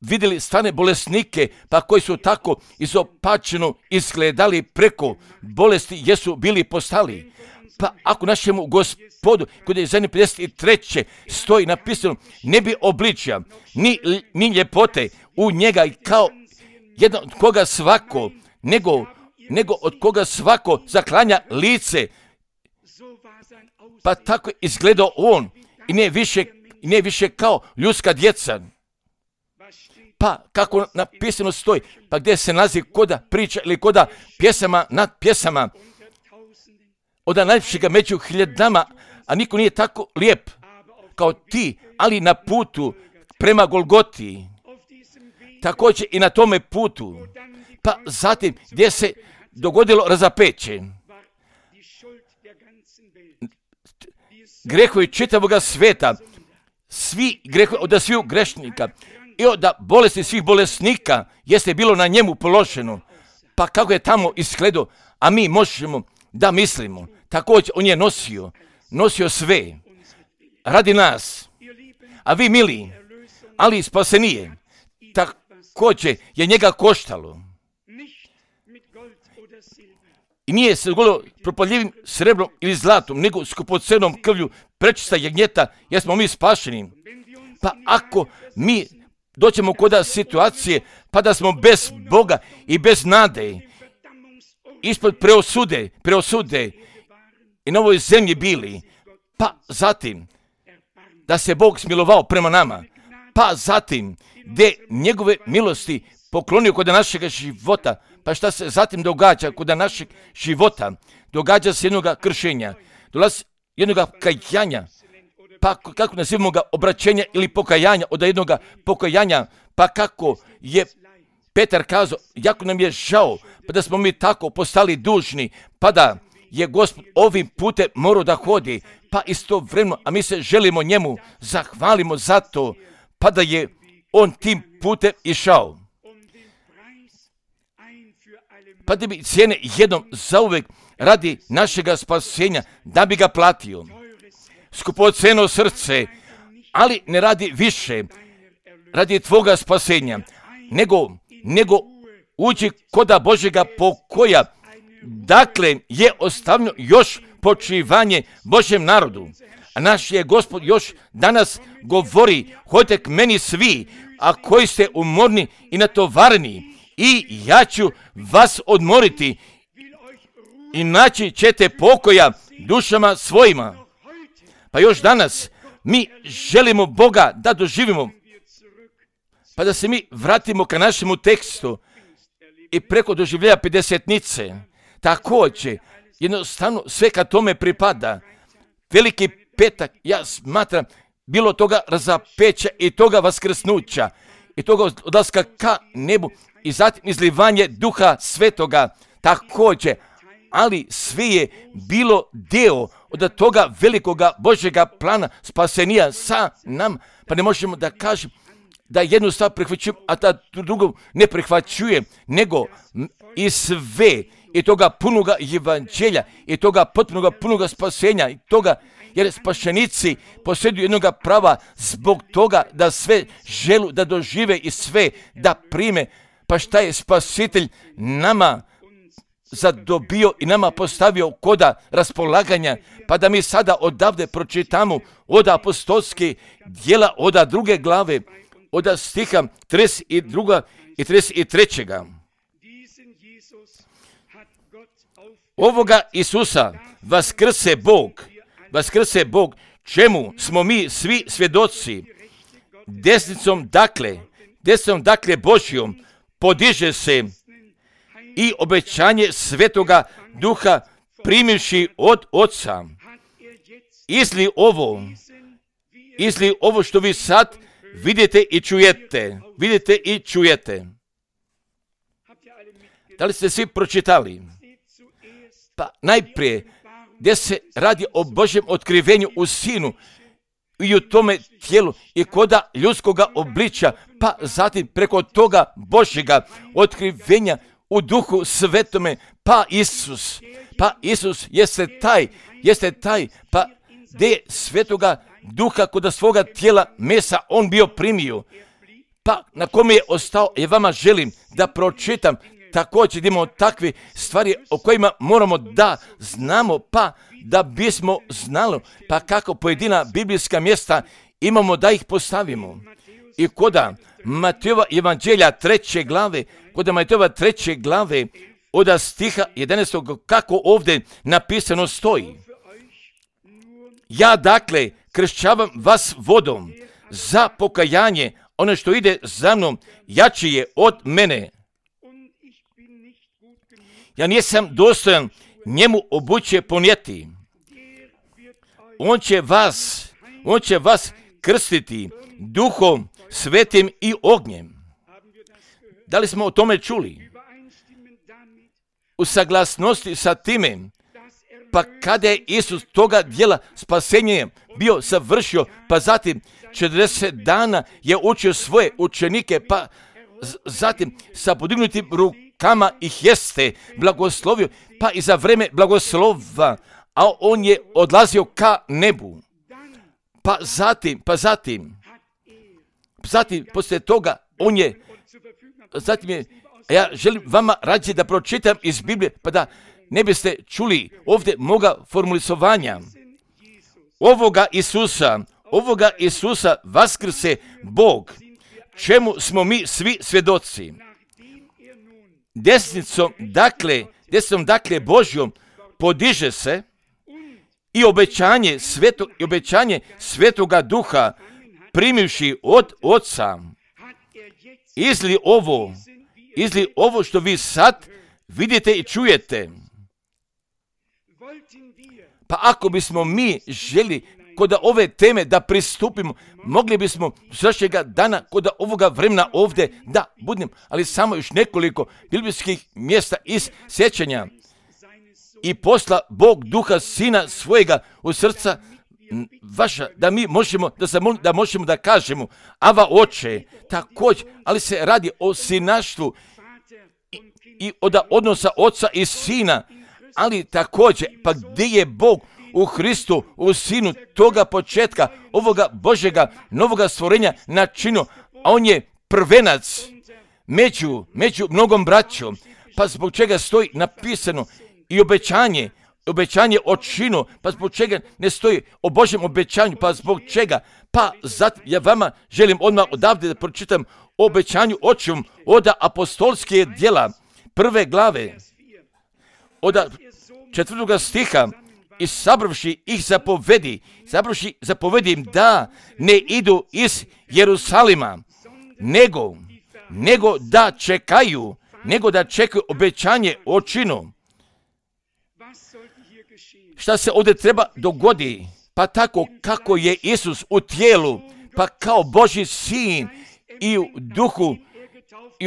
vidjeli stane bolesnike, pa koji su tako izopačeno izgledali preko bolesti, jesu bili postali? Pa ako našemu Gospodu, kod je zadnje 53. stoji napisano, ne bi obličja, ni ljepote u njega i kao jedan od koga svako, nego od koga svako zaklanja lice. Pa tako izgledao on i ne više kao ljudska djeca. Pa kako napisano stoji, pa gdje se nalazi koda priča ili koda pjesama nad pjesama, od najljepšega među hiljadama, a niko nije tako lijep kao ti, ali na putu prema Golgoti, također i na tome putu, pa zatim gdje se dogodilo razapeće. Grehovi čitavoga sveta, svi grehovi od sviju grešnika i od bolesti svih bolesnika jeste bilo na njemu položeno. Pa kako je tamo izgledao, a mi možemo da mislimo. Također on je nosio sve radi nas. A vi mili, ali spasenije, također je njega koštalo. I nije se dogodilo propadljivim srebrom ili zlatom, nego skupocenom krvlju prečista jagnjeta, jer smo mi spašeni. Pa ako mi doćemo kod situacije, pa da smo bez Boga i bez nade, ispod preosude i na ovoj zemlji bili, pa zatim da se Bog smilovao prema nama, pa zatim gdje njegove milosti poklonio kod našeg života. Pa šta se zatim događa kod našeg života? Događa se jednoga kršenja, dolazi jednoga kajanja, pa kako nazivamo ga, obraćenja ili pokajanja, od jednoga pokajanja, pa kako je Petar kazao, jako nam je žao, pa da smo mi tako postali dužni, pa da je Gospod ovim putem morao da hodi, pa istovremeno, a mi se želimo njemu, zahvalimo za to, pa da je on tim putem išao. Pa da bi cijene jednom zauvek radi našega spasenja, da bi ga platio. Skupoceno srce, ali ne radi više, radi tvoga spasenja, nego uđi koda Božjega pokoja. Dakle, je ostavljeno još počivanje Božjem narodu. A naš je Gospod još danas govori, hodite k meni svi, a koji ste umorni i natovareni, i ja ću vas odmoriti, i naći ćete pokoja dušama svojima. Pa još danas mi želimo Boga da doživimo, pa da se mi vratimo ka našemu tekstu i preko doživljaja pedesetnice. Također, jednostavno sve ka tome pripada. Veliki petak, ja smatram, bilo toga razapeća i toga vaskrsnuća i toga odlaska ka nebu i zatim izlivanje Duha Svetoga također, ali sve je bilo deo od toga velikoga Božjega plana spasenija sa nam, pa ne možemo da kažem da jednu stvar prihvaćujem, a da drugu ne prihvaćujem, nego i sve i toga punoga evanđelja i toga potpunoga punoga spasenja i toga, jer spašenici posjeduju jednoga prava zbog toga da sve želu da dožive i sve da prime. Pa šta je Spasitelj nama zadobio i nama postavio koda raspolaganja, pa da mi sada odavde pročitamo od apostolske djela, od 2. glave, od stiha 32. i 33. Ovoga Isusa vaskrse Bog, čemu smo mi svi svjedoci, desnicom dakle Božjom podiže se i obećanje Svetoga Duha primivši od Oca. Izli ovo što vi sad vidite i čujete. Da li ste svi pročitali? Pa najprije, gdje se radi o Božjem otkrivenju u Sinu i u tome tijelu i koda ljudskoga obličja, pa zatim preko toga Božjega otkrivenja u Duhu Svetome, pa Isus jeste taj, pa gdje je Svetoga Duha kod svoga tijela mesa on bio primio, pa na kome je ostao, ja vama želim da pročitam također imamo takve stvari o kojima moramo da znamo, pa da bismo znali, pa kako pojedina biblijska mjesta imamo da ih postavimo. I koda Matejova evanđelja 3. glave, od stiha 11. kako ovdje napisano stoji. Ja dakle kršćavam vas vodom za pokajanje, ono što ide za mnom jači je od mene. Ja nisam dostojan njemu obuće ponijeti. On će vas krstiti Duhom Svetim i ognjem. Da li smo o tome čuli? U saglasnosti sa time, pa kada je Isus toga djela spasenja bio savršio, pa zatim 40 dana je učio svoje učenike, pa zatim sa podignutim rukama ih jeste blagoslovio, pa i za vreme blagoslova, a on je odlazio ka nebu. Pa zatim, poslije toga, ja želim vama rađe da pročitam iz Biblije, pa da ne biste čuli ovdje moga formulisovanja. Ovoga Isusa vaskrse Bog, čemu smo mi svi svjedoci. Desnicom dakle Božjom podiže se i obećanje Svetoga Duha primivši od Oca, izli ovo što vi sad vidite i čujete. Pa ako bismo mi želi kod ove teme da pristupimo, mogli bismo sljedećega dana kod ovoga vremena ovdje da budem, ali samo još nekoliko biblijskih mjesta iz sjećanja. I posla Bog duha sina svojega u srca vaša, da mi možemo, da možemo da kažemo, Ava Oče, također, ali se radi o sinaštvu i od odnosa oca i sina, ali također, pa gdje je Bog u Hristu, u Sinu, toga početka, ovoga Božjega, novoga stvorenja načinu, a on je prvenac među mnogom braćom, pa zbog čega stoji napisano i obećanje o činu, pa zbog čega ne stoji o Božjem obećanju, pa zbog čega, pa zato ja vama želim odmah odavde da pročitam o obećanju očevom od apostolske djela, 1. glave, od 4. stiha, i sabravši ih zapovedi im da ne idu iz Jerusalima, nego da čekaju obećanje o činu. Šta se ovdje treba dogodi? Pa tako kako je Isus u tijelu, pa kao Božji sin i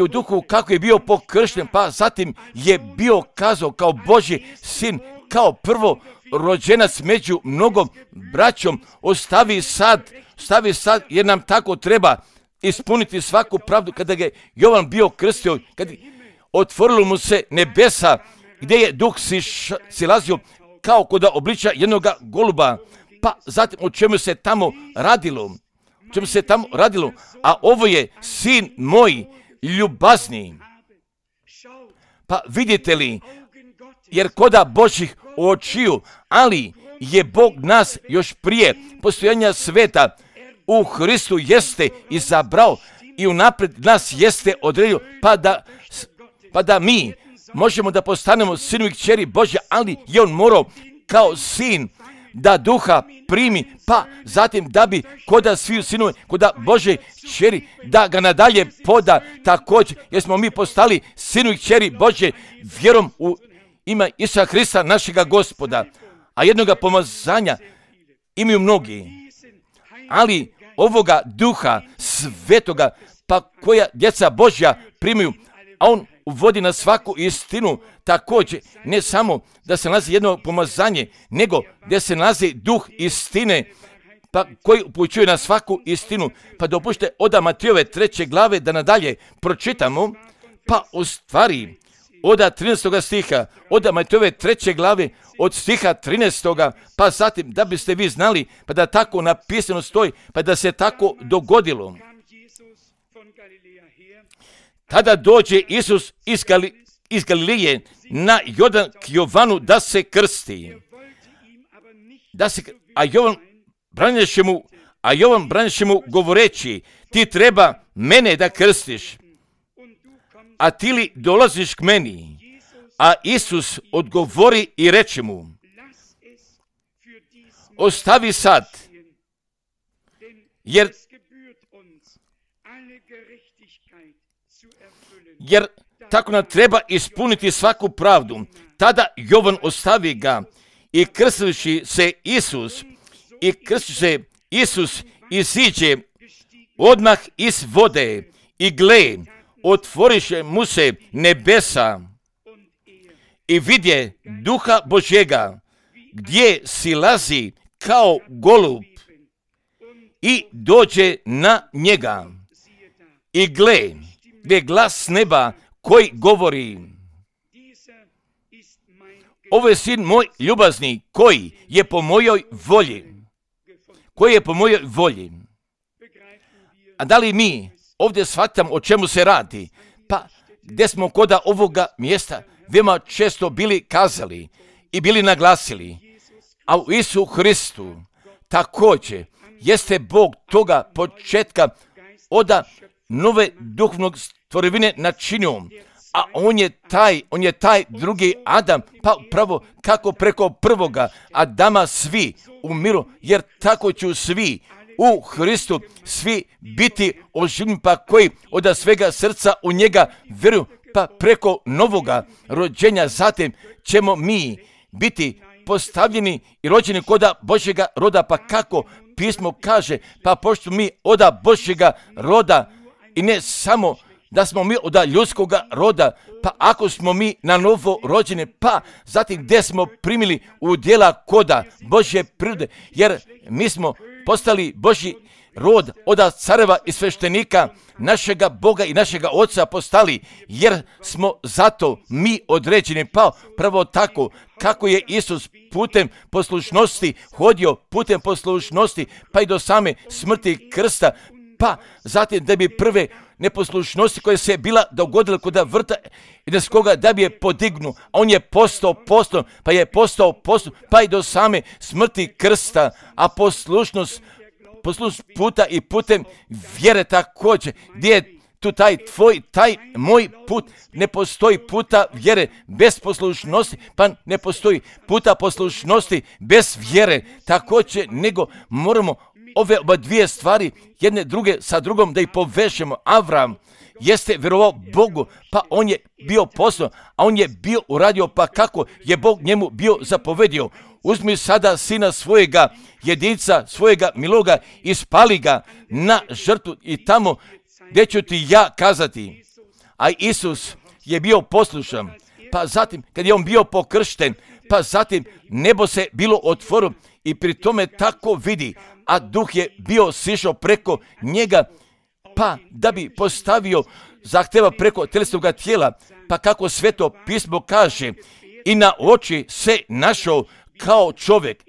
u duhu kako je bio pokršten, pa zatim je bio kazao kao Božji sin, kao prvo rođenac među mnogom braćom, ostavi sad jer nam tako treba ispuniti svaku pravdu. Kada je Jovan bio krstio, kad otvorilo mu se nebesa, gdje je duh silazio kao kod obliča jednog goluba, pa zatim o čemu se tamo radilo, a ovo je sin moj ljubazni. Pa vidite li, jer koda Božjih očiju, ali je Bog nas još prije postojanja sveta u Hristu jeste izabrao i unaprijed nas jeste odredio, pa da mi možemo da postanemo sinovi i kćeri Božja, ali je on morao kao sin da duha primi, pa zatim da bi koda sviju sinove, koda Bože kćeri, da ga nadalje poda također, jer smo mi postali sinovi i kćeri Božje vjerom u ime Isusa Hrista našega Gospoda. A jednoga pomazanja imaju mnogi, ali ovoga duha svetoga, pa koja djeca Božja primaju, a on uvodi na svaku istinu, također ne samo da se nalazi jedno pomazanje, nego da se nalazi duh istine, pa koji upućuje na svaku istinu. Pa dopušte od Matejove 3. glave da nadalje pročitamo, pa u stvari od 13. stiha, od Matejove 3. glave, od stiha 13. pa zatim da biste vi znali, pa da tako napisano stoji, pa da se tako dogodilo. Tada dođe Isus iz Galilije na Jordan k Jovanu da se krsti. A Jovan braniše mu govoreći, ti treba mene da krstiš, a ti li dolaziš k meni? A Isus odgovori i reče mu, ostavi sad, jer tako nam treba ispuniti svaku pravdu. Tada Jovan ostavi ga i krstiši se Isus isiđe odmah iz vode i gle, otvoriše mu se nebesa i vidje duha Božjega gdje silazi kao golub i dođe na njega. I gle, gdje glas neba koji govori, ovo je sin moj ljubazni koji je po mojoj volji. A da li mi ovdje shvatamo o čemu se radi? Pa gdje smo koda ovoga mjesta veoma često bili kazali i bili naglasili, a u Isusu Hristu također jeste Bog toga početka od nove duhovnog stvorevine načinio, a on je taj drugi Adam, pa upravo kako preko prvoga Adama svi umiru, jer tako ću svi u Hristu svi biti oživljeni, pa koji od svega srca u njega vjeruju, pa preko novoga rođenja zatim ćemo mi biti postavljeni i rođeni koda Božjega roda, pa kako pismo kaže, pa pošto mi od Božjega roda i ne samo da smo mi od ljudskoga roda, pa ako smo mi na novo rođeni, pa zatim gdje smo primili udjela koda Božje prirode, jer mi smo postali Božji rod od careva i sveštenika našega Boga i našega Oca postali, jer smo zato mi određeni, pa pravo tako kako je Isus putem poslušnosti hodio, putem poslušnosti pa i do same smrti krsta, pa zatim da bi prve neposlušnosti koje se bila dogodile kod vrta Edenskoga da bi je podignu, a on je postao postom, pa je postao postom, pa i do same smrti krsta, a poslušnost puta i putem vjere također, gdje je tu taj tvoj, taj moj put, ne postoji puta vjere bez poslušnosti, pa ne postoji puta poslušnosti bez vjere također, nego moramo ove oba dvije stvari, jedne druge sa drugom da ih povežemo. Avram jeste vjerovao Bogu, pa on je bio poslan, a on je bio uradio, pa kako je Bog njemu bio zapovedio. Uzmi sada sina svojega, jedinca svojega miloga i spali ga na žrtvu i tamo gdje ću ti ja kazati. A Isus je bio poslušan, pa zatim kad je on bio pokršten, pa zatim nebo se bilo otvorilo i pri tome tako vidi, a duh je bio sišao preko njega, pa da bi postavio zahtjeva preko telesnog tijela, pa kako Sveto pismo kaže, i na oči se našao kao čovjek,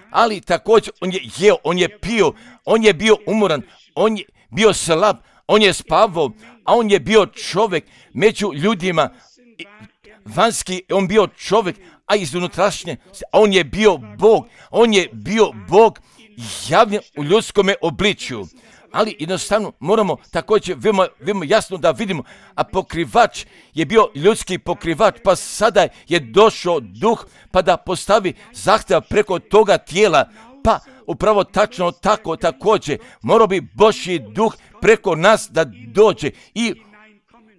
ali također on je jeo, on je pio, on je bio umoran, on je bio slab, on je spavao, a on je bio čovjek među ljudima, vanjski on bio čovjek, a iz unutrašnje, on je bio Bog, on je bio Bog javljen u ljudskome obličju. Ali jednostavno moramo također veoma jasno da vidimo, a pokrivač je bio ljudski pokrivač, pa sada je došao duh pa da postavi zahtjev preko toga tijela, pa upravo tačno tako također morao bi Božji duh preko nas da dođe i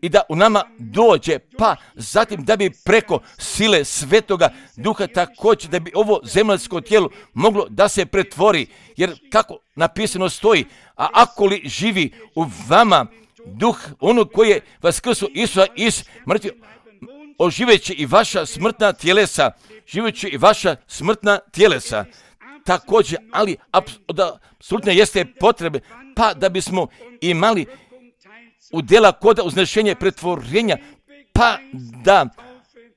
da u nama dođe, pa zatim da bi preko sile Svetoga Duha također da bi ovo zemaljsko tijelo moglo da se pretvori, jer kako napisano stoji, a ako li živi u vama duh ono koji je vaskrso Isusa iz mrtvih, oživeći i vaša smrtna tjelesa, živeći i vaša smrtna tjelesa. Također, ali apsolutno jeste potrebe, pa da bismo imali udjela koda uznešenja pretvorenja, pa da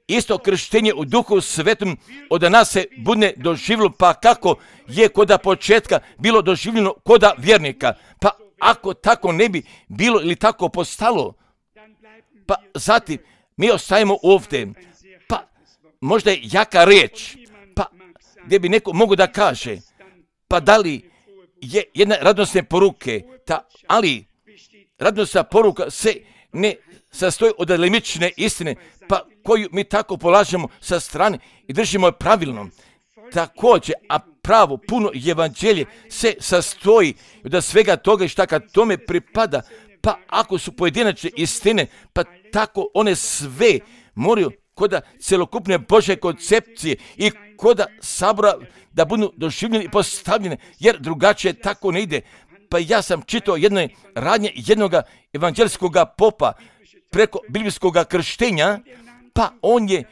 isto krštenje u Duhu Svetom od nas se bude doživjelo, pa kako je koda početka bilo doživljeno koda vjernika. Pa ako tako ne bi bilo ili tako postalo, pa zatim mi ostajemo ovdje, pa možda je jaka riječ, pa gdje bi neko mogu da kaže, pa da li je jedna radosne poruke, ali radosna poruka se ne sastoji od delimične istine, pa koju mi tako polažemo sa strane i držimo je pravilnom. Također, a pravo, puno evanđelje se sastoji od svega toga i šta kad tome pripada, pa ako su pojedinačne istine, pa tako one sve moraju koda celokupne Božje koncepcije i koda sabora da budu doživljene i postavljene, jer drugačije tako ne ide. Pa ja sam čitao jedne radnje jednog evanđelskog popa preko biblijskog krštenja, pa on je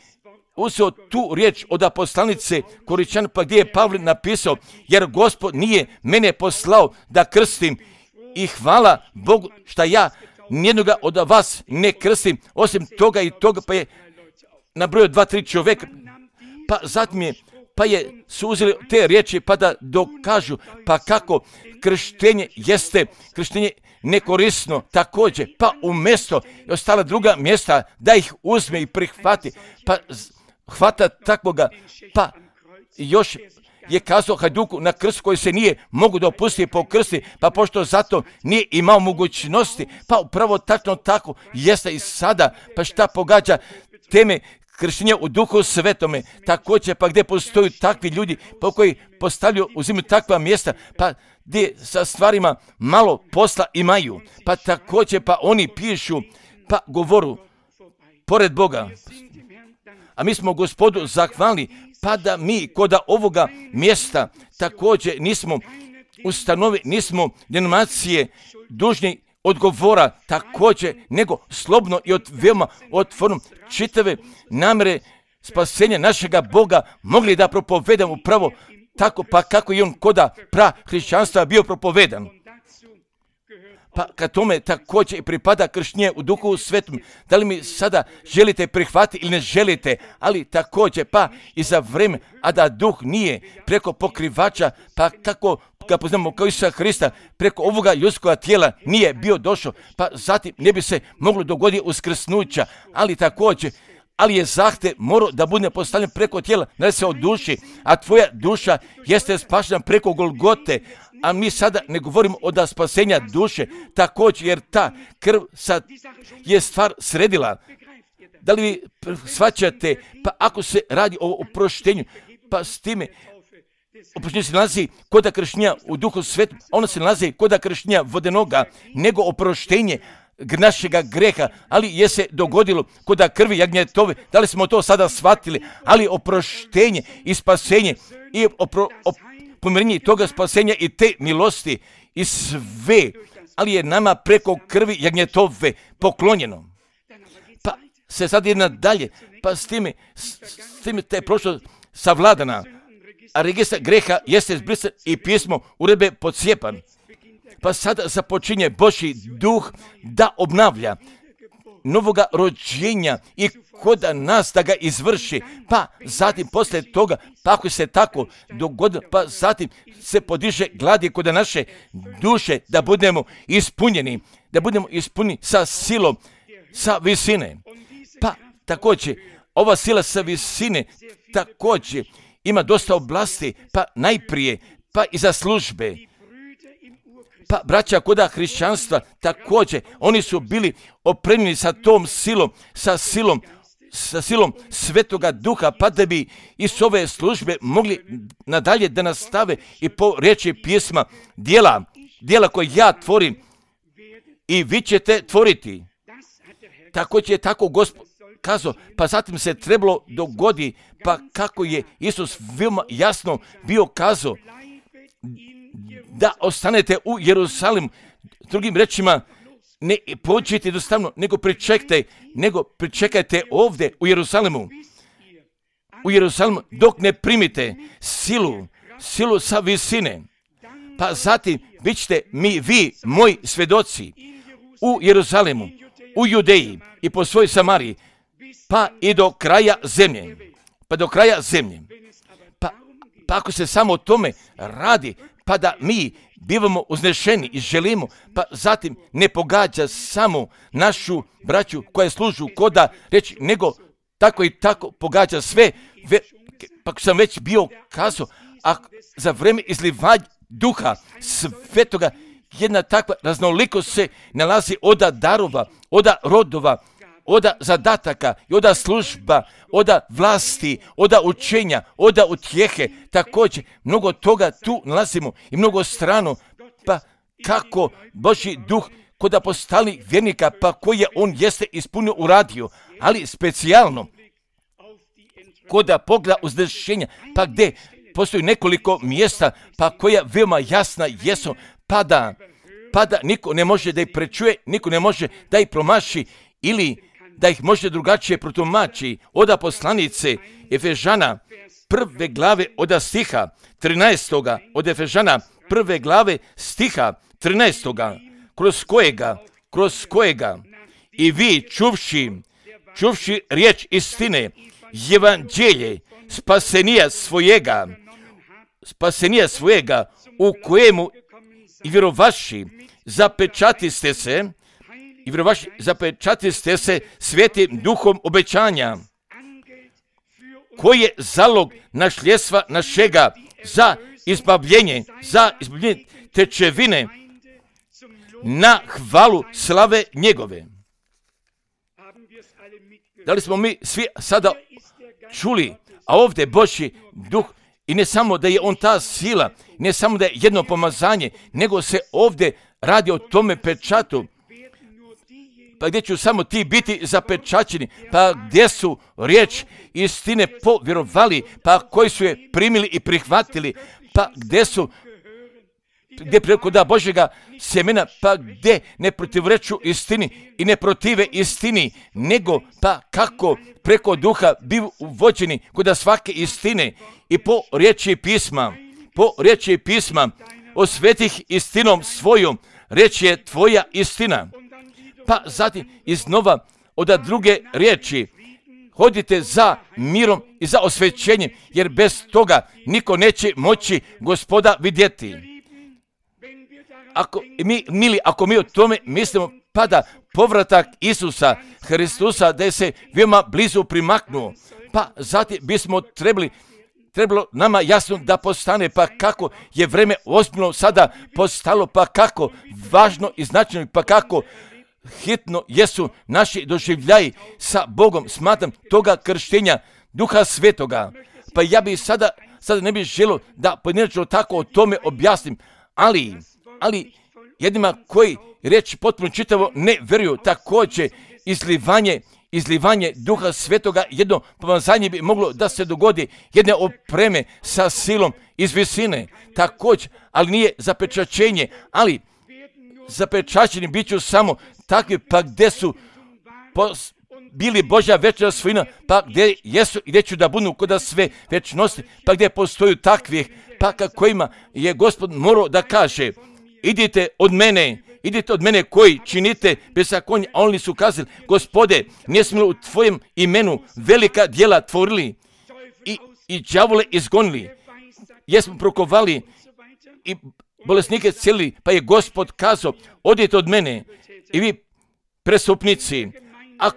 uzeo tu riječ od poslanice Koričan, pa gdje je Pavle napisao, jer Gospod nije mene poslao da krstim i hvala Bogu šta ja nijednoga od vas ne krstim, osim toga i toga, pa je nabrojio 2-3 čovjeka, pa zatim su uzeli te riječi pa da dokažu pa kako krštenje jeste krštenje nekorisno također, pa umjesto i ostala druga mjesta da ih uzme i prihvati, pa hvata takvoga, pa još je kazao Hajduku na krst koji se nije mogu dopustiti po krsti, pa pošto zato nije imao mogućnosti, pa upravo tačno tako jeste i sada, pa šta pogađa teme krštenje u Duhu Svetome, također pa gdje postoju takvi ljudi pa koji postavljaju, uzimaju takva mjesta, pa gdje sa stvarima malo posla imaju, pa također pa oni pišu, pa govoru pored Boga. A mi smo Gospodu zahvalni, pa da mi kod ovoga mjesta također nismo ustanovi, nismo denominacije dužni odgovora također, nego slobno i veoma otvoreno čitave namjere spasenja našega Boga mogli da propovedamo upravo tako pa kako i on koda hrišćanstva bio propovedan. Pa kad tome također i pripada krštenje u Duhu Svetom, da li mi sada želite prihvatiti ili ne želite, ali također pa i za vrijeme, a da Duh nije preko pokrivača, pa kako ga poznamo kao Isusa Hrista, preko ovoga ljudskoga tijela nije bio došao, pa zatim ne bi se moglo dogoditi uskrsnuća, ali također, ali je zahtjev morao da bude postavljen preko tijela, ne se od duši, a tvoja duša jeste spašena preko Golgote, a mi sada ne govorimo o spasenja duše, također jer ta krv sad je stvar sredila. Da li vi shvaćate, pa ako se radi o oproštenju, pa s time oproštenje se nalazi kod krštenja u Duhu Svetom, ono se nalazi kod krštenja vodenoga, nego oproštenje našega greha, ali je se dogodilo kod krvi jagnjetove, da li smo to sada shvatili, ali oproštenje i spasenje i pomirenje toga spasenja i te milosti i sve, ali je nama preko krvi jagnjetove poklonjeno. Pa se sad ide nadalje, pa s time te je prošlo savladana, a registar greha jeste zbrisan i pismo uredbe podcijepan. Pa sada započinje Božji duh da obnavlja novoga rođenja i kod nas da ga izvrši, pa zatim poslije toga, pa ako se tako dogodilo, pa zatim se podiže glad kod naše duše da budemo ispunjeni sa silom, sa visine. Pa također, ova sila sa visine također ima dosta oblasti, pa najprije, pa i za službe. Pa braća koda hrišćanstva također, oni su bili opremljeni sa tom silom, sa silom Svetoga Duha, pa da bi iz ove službe mogli nadalje da nastave i po riječi pjesma djela koje ja tvorim i vi ćete tvoriti. Također je tako Gospod kazao, pa zatim se trebalo dogodi, pa kako je Isus veoma jasno bio kazao, da ostanete u Jerusalimu. Drugim rečima, ne pođite jednostavno, nego pričekajte ovdje u Jerusalimu. U Jerusalimu dok ne primite silu sa visine. Pa zatim bit ćete vi, moji svjedoci, u Jerusalimu, u Judeji i po svoj Samariji, pa i do kraja zemlje. Pa ako se samo o tome radi, pa da mi bivamo uznešeni i želimo, pa zatim ne pogađa samo našu braću koja služu koda reći, nego tako i tako pogađa sve, pa sam već bio kazao, a za vrijeme izlivanja Duha Svetoga jedna takva raznolikost se nalazi od darova, od rodova, od zadataka i od služba, od vlasti, od učenja, od utjehe, također mnogo toga tu nalazimo i mnogo strano, pa kako Božji duh kod apostolnih vjernika, pa koje on jeste ispunio uradio, ali specijalno kod pogleda uzdrženja, pa gdje postoji nekoliko mjesta, pa koja veoma jasna jesu, pa da niko ne može da ih prečuje, niko ne može da ih promaši ili da ih može drugačije protumači od poslanice Efežana prve glave od stiha 13. od Efežana prve glave stiha 13. kroz kojega i vi čuvši riječ istine, evanđelje spasenija svojega u kojemu i vjerovaši zapečatiste se Svetim Duhom obećanja, koji je zalog našljedstva našega za izbavljenje tečevine na hvalu slave njegove. Da li smo mi svi sada čuli, a ovdje Božji duh, i ne samo da je on ta sila, ne samo da je jedno pomazanje, nego se ovdje radi o tome pečatu, pa gdje ću samo ti biti zapečaćeni, pa gdje su riječ istine povjerovali, pa koji su je primili i prihvatili, pa gdje preko da Božjega sjemena, pa gdje ne protivreču istini i ne protive istini, nego pa kako preko duha bivu uvođeni kod svake istine i po riječi pisma osvetih istinom svojom, riječ je tvoja istina. Pa zatim iznova od druge riječi, hodite za mirom i za osvećenjem, jer bez toga niko neće moći Gospoda vidjeti. Ako mi o tome mislimo, pada povratak Isusa Hristusa da je se veoma blizu primaknuo, pa zatim bismo trebalo nama jasno da postane, pa kako je vreme ozbiljno sada postalo, pa kako važno i značajno, pa kako hitno jesu naši doživljaji sa Bogom. Smatram toga krštenja Duha Svetoga. Pa ja bi sada ne bih želio da pojedinačno tako o tome objasnim, ali jednima koji riječ potpuno čitavo ne vjeruju, također izlivanje Duha Svetoga, jedno pomazanje bi moglo da se dogodi, jedne opreme sa silom iz visine, također, ali nije zapečaćenje, ali zapečaćeni bit ću samo takvi, pa gdje su bili Božja večna svojina, pa gdje jesu i gdje ću da budu kod sve večnosti, pa gdje postoju takvih, pa kojima je Gospod morao da kaže, idite od mene koji činite bezakonje, a oni su kazali, Gospode, nismo li u tvojem imenu velika djela tvorili i đavole izgonili, jesmo prokovali i bolesnike celili, pa je Gospod kazao, odite od mene i vi prestupnici, a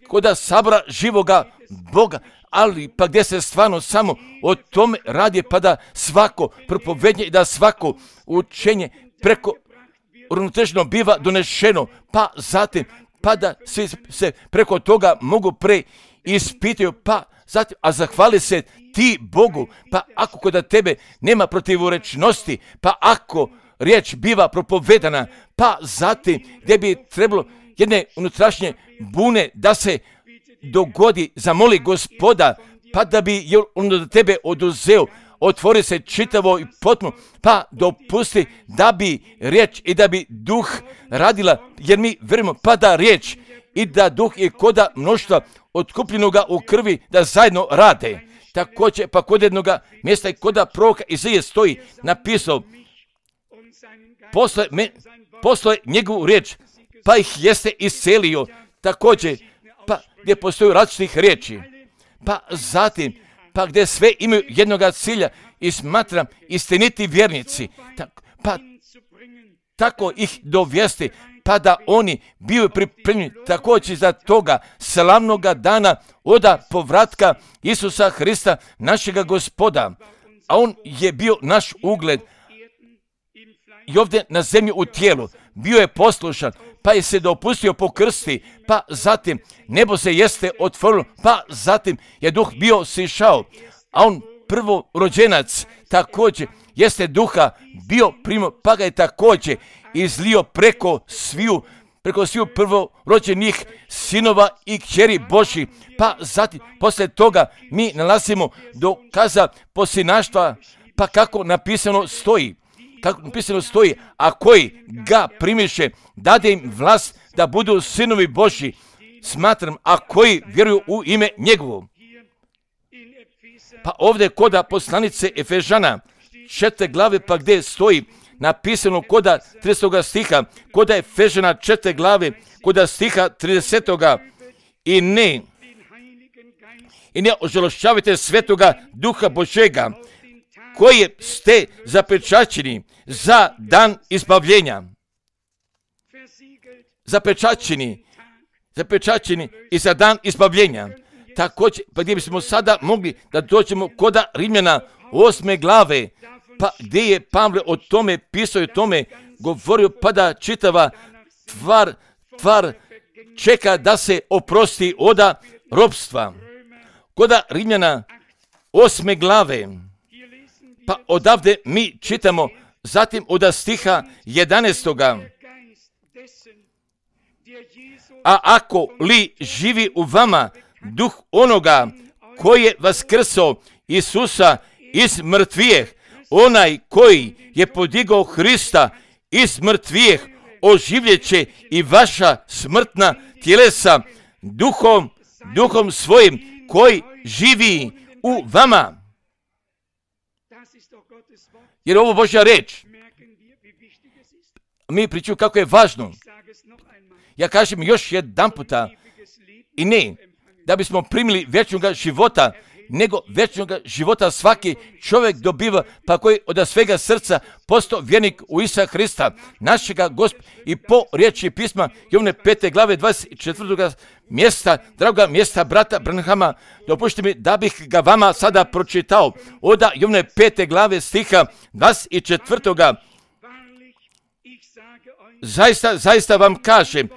koda sabora živoga Boga, ali pa gdje se stvarno samo o tome radi, pa da svako propovednje i da svako učenje preko uravnoteženo biva donešeno, pa zatim, pa da svi se preko toga mogu ispitaju, pa zatim, a zahvali se ti Bogu, pa ako kod tebe nema protivorečnosti, pa ako riječ biva propovedana, pa zatim gdje bi trebalo jedne unutrašnje bune da se dogodi, zamoli Gospoda, pa da bi on od tebe oduzeo, otvori se čitavo i potpuno, pa dopusti da bi riječ i da bi duh radila, jer mi vjerujemo pa da riječ i da duh i koda mnoštva otkupljenoga u krvi da zajedno rade. Također pa kod jednoga mjesta i koda proroka Izaije stoji napisao, posle njegovu riječ, pa ih jeste iscelio. Također, pa gdje postoju različitih riječi, pa zatim, pa gdje sve imaju jednoga cilja i smatram istiniti vjernici, pa tako ih dovesti, pa da oni biju pripremljeni također za toga slavnoga dana oda povratka Isusa Hrista, našega Gospoda. A on je bio naš ugled i ovdje na zemlji u tijelu, bio je poslušan, pa je se dopustio pokrsti, pa zatim nebo se jeste otvorilo, pa zatim je duh bio sišao, a on prvorođenac također jeste duha bio primio, pa ga je također izlio preko sviju prvorođenih sinova i kćeri Božji, pa zatim poslije toga mi nalazimo dokaza posinaštva, pa kako napisano stoji, a koji ga primiše, dade im vlast da budu sinovi Božji, smatram, a koji vjeruju u ime njegovo. Pa ovdje koda poslanice Efežana 4. glave, pa gdje stoji napisano koda 30. stiha, koda Efežana 4. glave, koda stiha 30. i ne ožalošćavajte svetoga duha Božega, koji ste zapečaćeni za dan izbavljenja. Zapečaćeni i za dan izbavljenja. Također, pa gdje bismo sada mogli da dođemo koda Rimljana 8. glave, pa gdje je Pavle o tome pisao i o tome govorio, pa da čitava tvar čeka da se oprosti od ropstva. Kod Rimljana 8. glave, pa odavde mi čitamo, zatim od stiha 11. A ako li živi u vama duh onoga koji je vaskrso Isusa iz mrtvijeh, onaj koji je podigao Hrista iz mrtvijeh, oživljeće i vaša smrtna tjelesa duhom svojim koji živi u vama. Jer ovo Božja reč. Mi pričamo kako je važno. Ja kažem još jedan puta, i ne da bismo primili vječnog života, nego vječnog života svaki čovjek dobiva, pa koji od svega srca postao vjernik u Isusa Hrista, našega Gospoda, i po riječi pisma Jovne 5. glave 24. mjesta, draga mjesta brata Branhama, dopustite mi da bih ga vama sada pročitao. Od Jovne 5. glave stiha 24. Zaista vam kažem,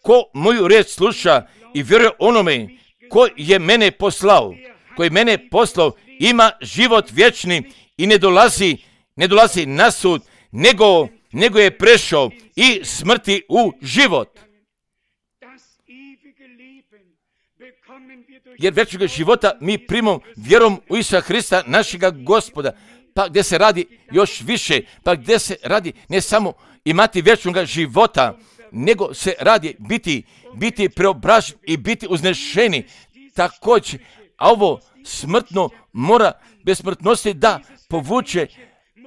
ko moju riječ sluša i vjeruje onome koji je mene poslao, ima život vječni i ne dolazi na sud, nego je prešao i smrti u život. Jer vječnog života mi primamo vjerom u Isusa Hrista, našega Gospoda, pa gdje se radi još više, pa gdje se radi ne samo imati vječnog života, nego se radi biti preobražen i biti uznešeni. Također, a ovo smrtno mora bez smrtnosti da povuče,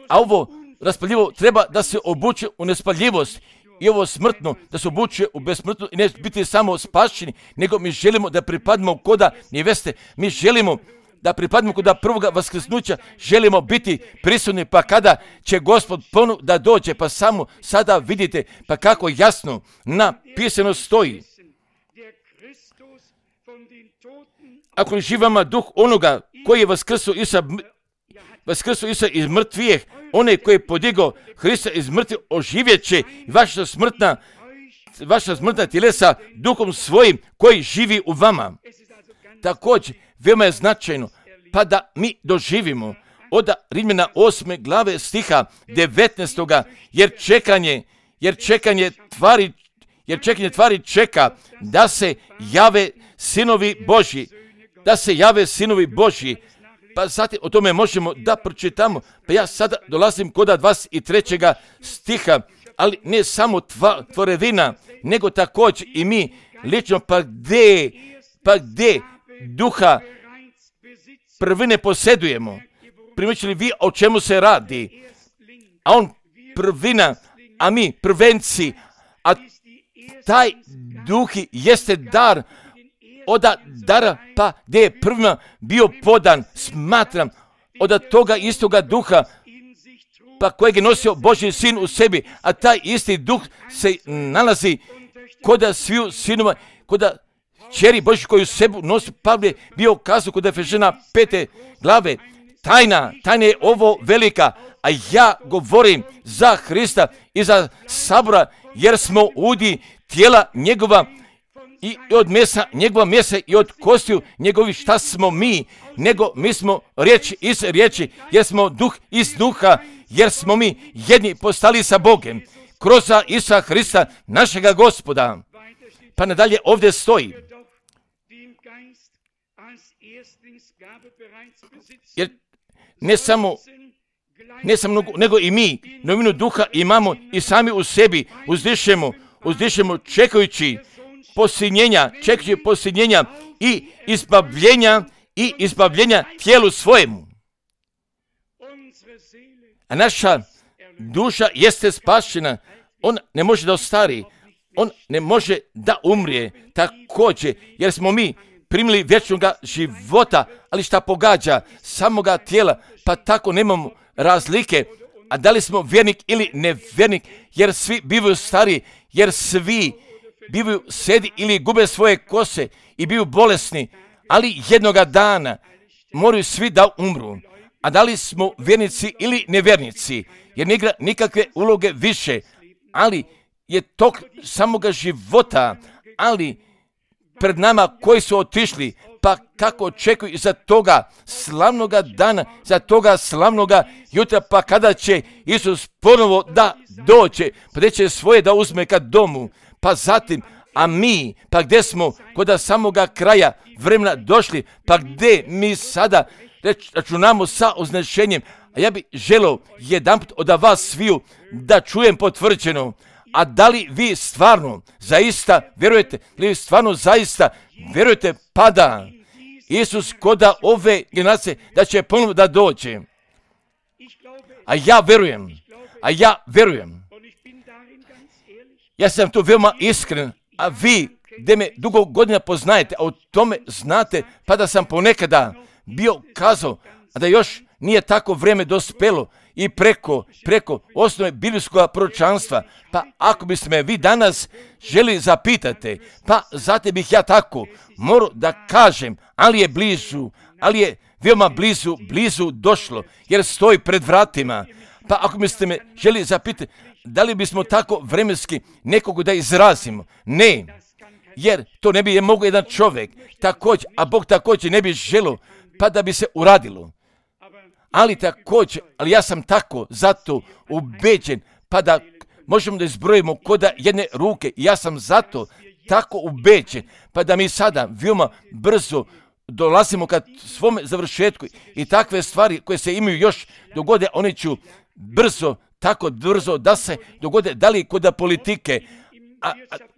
a ovo raspaljivo treba da se obuče u nespaljivost. I ovo smrtno da se obuče u besmrtno i ne biti samo spašeni, nego mi želimo da pripadimo koda neveste. Mi želimo da pripadimo kod prvoga vaskrsnuća, želimo biti prisutni, pa kada će Gospod ponovo da dođe, pa samo sada vidite pa kako jasno napisano stoji. Ako li živama duh onoga koji je vaskrso Isusa iz mrtvijeh, onaj koji je podigao Hrista iz mrtvih, oživjeće vaša smrtna tjelesa duhom svojim koji živi u vama. Također, veoma je značajno, pa da mi doživimo od Rimljana 8. glave stiha 19. jer čekanje tvari čeka da se jave sinovi Božji. Pa zatim o tome možemo da pročitamo. Pa ja sada dolazim kod 23. stiha, ali ne samo tvorevina, nego također i mi lično, pa gdje duha prvine posjedujemo. Primičili vi o čemu se radi? A on prvina, a mi prvenci, a taj duh jeste dar od dara, pa gdje je prvima bio podan, smatram, od toga istoga duha, pa kojeg je nosio Božji sin u sebi, a taj isti duh se nalazi kod sviju sinova, kod čeri Božji koju sebu nosi. Pavle je bio kazao kod Efežana 5. glave, tajna je ovo velika, a ja govorim za Hrista i za sabora, jer smo udi tijela njegova, i od mesa, njegova mesa i od kostiju njegovi. Šta smo mi? Nego mi smo riječ iz riječi, jer smo duh iz duha, jer smo mi jedni postali sa Bogem kroz Isusa Hrista, našega Gospoda. Pa nadalje ovdje stoji. Jer ne samo nego i mi novinu duha imamo i sami u sebi uzdišemo čekajući posinjenja i izbavljenja tijelu svojemu. A naša duša jeste spašena, on ne može da ostari, on ne može da umrije također, jer smo mi primili vječnog života, ali šta pogađa samoga tijela, pa tako nemamo razlike, a da li smo vjernik ili nevjernik, jer svi bivaju stari, jer svi bivaju sedi ili gube svoje kose i bivaju bolesni, ali jednoga dana moraju svi da umru. A da li smo vjernici ili nevjernici, jer ne igra nikakve uloge više, ali je tok samoga života, ali pred nama koji su otišli, pa kako očekuju za toga slavnoga dana, za toga slavnoga jutra, pa kada će Isus ponovo da dođe, pa gdje će svoje da uzme kad domu, pa zatim, a mi, pa gdje smo kod samoga kraja vremena došli, pa gdje mi sada računamo sa označenjem, a ja bih želio jedanput od vas sviju da čujem potvrđeno, a da li vi stvarno zaista vjerujete, li vi stvarno zaista vjerujete pa da Isus koda ove generacije da će ponovno da dođe? A ja vjerujem. Ja sam tu veoma iskren, a vi gdje me dugo godina poznajete, a o tome znate, pa da sam ponekada bio kazao, a da još nije tako vrijeme dospelo i preko osnove biblijskog proročanstva, pa ako biste me vi danas želi zapitati, pa zatim bih ja tako morao da kažem, ali je blizu, ali je veoma blizu došlo, jer stoji pred vratima. Pa ako biste me želi zapitati, da li bismo tako vremenski nekog da izrazimo? Ne, jer to ne bi je mogao jedan čovjek, također, a Bog također ne bi želio, pa da bi se uradilo. Ali ja sam tako zato ubeđen, pa da možemo da izbrojimo koda jedne ruke. Ja sam zato tako ubeđen, pa da mi sada veoma brzo dolazimo ka svom završetku i takve stvari koje se imaju još dogode, one ću tako brzo da se dogode, da li koda politike,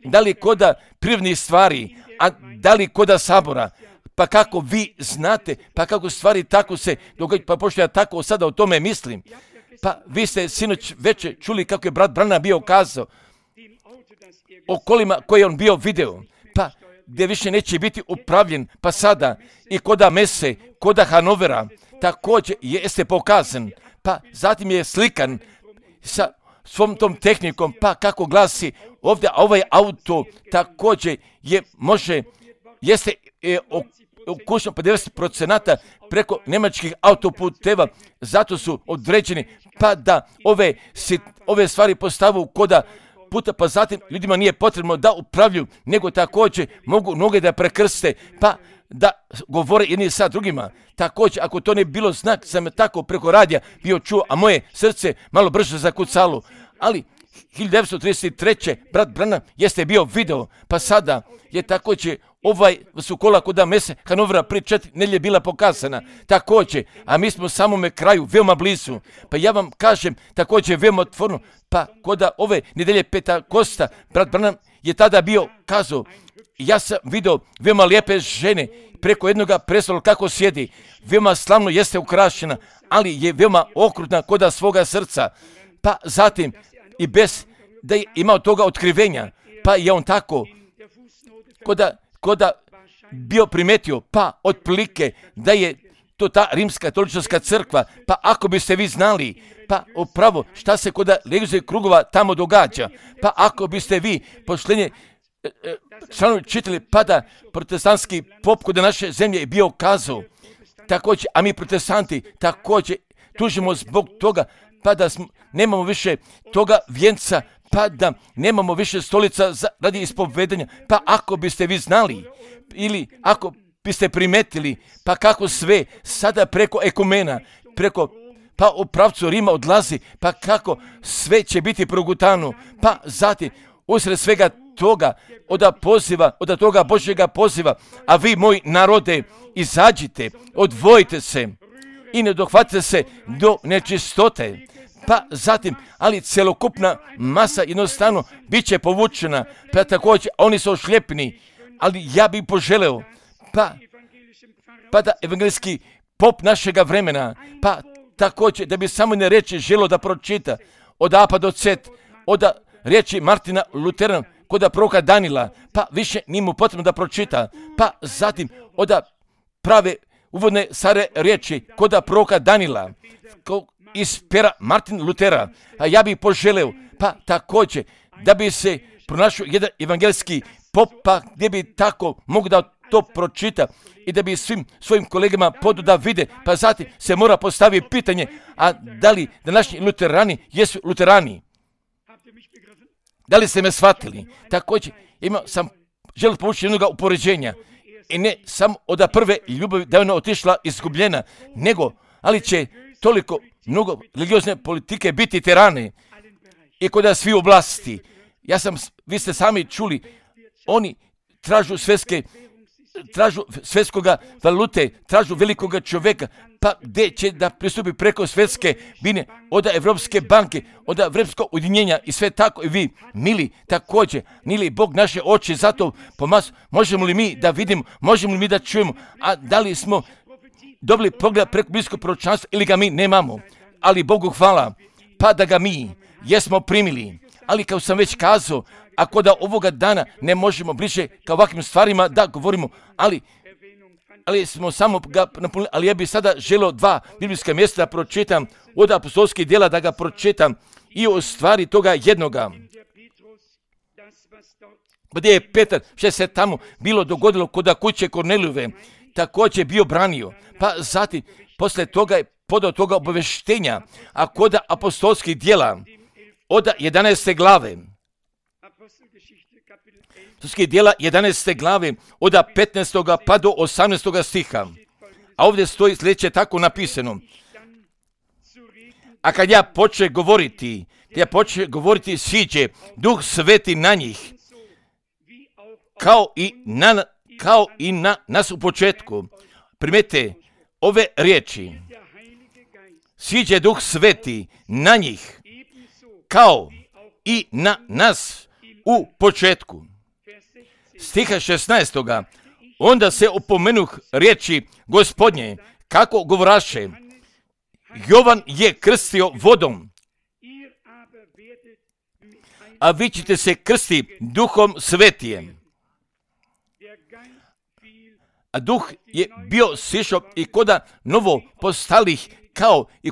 da li koda privrednih stvari, a da li koda sabora. Pa kako vi znate, pa kako stvari tako se događaju, pa pošto ja tako sada o tome mislim, pa vi ste sinoć večer čuli kako je brat Branham bio kazao o kolima koje je on bio video, pa gdje više neće biti upravljen, pa sada i koda Mese, koda Hanovera, također jeste pokazan, pa zatim je slikan sa svom tom tehnikom, pa kako glasi ovdje, a ovaj auto također jeste ukućno 50% preko njemačkih autoputeva, zato su određeni, pa da ove stvari postavu koda puta, pa zatim ljudima nije potrebno da upravljuju, nego također mogu noge da prekrste, pa da govore jedni sa drugima. Također, ako to ne bilo znak, sam tako preko radija bio čuo, a moje srce malo brže zakucalo, ali 1933. brat Branham jeste bio video, pa sada je također su kola koda Mese Hanovera prije 4 nedjelje bila pokazana, također, a mi smo samome kraju, veoma blizu, pa ja vam kažem, također veoma otvorno, pa koda ove nedjelje Pentakosta, brat Branham je tada bio kazao, ja sam vidio veoma lijepe žene preko jednoga prestola kako sjedi, veoma slavno jeste ukrašena, ali je veoma okrutna koda svoga srca, pa zatim i bez da je imao toga otkrivenja, pa je on tako koda bio primetio, pa otprilike da je to ta rimska katolička crkva, pa ako biste vi znali, pa upravo šta se koda religijskih krugova tamo događa, pa ako biste vi poštenje članovi čitali, pa da protestantski pop kod naše zemlje je bio kazao, također, a mi protestanti također tužimo zbog toga, pa da nemamo više toga vjenca, pa da nemamo više stolica radi ispovedanja, pa ako biste vi znali, ili ako biste primetili, pa kako sve sada preko ekumena, pa u pravcu Rima odlazi, pa kako sve će biti progutano, pa zatim usred svega toga, od toga Božjega poziva, a vi moji narode, izađite, odvojite se i ne dohvatite se do nečistote. Pa zatim, ali celokupna masa jednostavno bit će povučena, pa također oni su ošljepni, ali ja bih poželeo, pa da evangelijski pop našega vremena, pa također da bi samo ne reći želo da pročita od A pa do Z, od riječi Martina Lutera, kod proroka Danila, pa više nije mu potrebno da pročita, pa zatim od prave uvodne stare riječi kod proroka Danila, iz pera Martin Lutera, a ja bih poželeo, pa također da bi se pronašao jedan evangelijski pop, pa gdje bi tako mogu da to pročita i da bi svim svojim kolegama podu da vide, pa zatim se mora postaviti pitanje, a da li današnji luterani jesu luterani? Da li ste me shvatili? Također imao sam želi povući jednog upoređenja. I ne samo od prve ljubavi da je ona otišla izgubljena, nego, ali će toliko mnogo religiozne politike biti tirane i kod svi oblasti. Vi ste sami čuli, oni tražu svjetskoga valute, tražu velikoga čovjeka, pa gdje će da pristupi preko svjetske bine, od Evropske banke, od Evropskog ujedinjenja i sve tako i vi, mili, također, nili Bog naše oči, zato možemo li mi da vidimo, možemo li mi da čujemo, a da li smo dobili pogled preko bliskog proročanstva ili ga mi nemamo, ali Bogu hvala, pa da ga mi jesmo primili, ali kao sam već kazao, ako da ovoga dana ne možemo bliže ka ovakvim stvarima da govorimo, ali smo samo ga napunili, ali ja bih sada želio 2 biblijska mjesta da pročitam, od apostolskih djela da ga pročitam i o stvari toga jednoga. Gdje je Petar, što se tamo bilo dogodilo kod kuće Kornelijove, također bio branio, pa zatim posle toga je podao toga obaveštenja, a kod apostolskih djela od 11. glave, apostolskih djela 11. glave, od 15. pa do 18. stiha, a ovdje stoji sljedeće tako napisano. A kad ja počne govoriti, siđe Duh Sveti na njih, kao i na nas u početku. Primete ove riječi. Siđe Duh Sveti na njih, kao i na nas u početku. Stiha 16. Onda se opomenuh riječi Gospodnje, kako govoraše, Jovan je krstio vodom, a vi ćete se krsti Duhom Svetijem. A Duh je bio sišao i koda novo postalih, kao i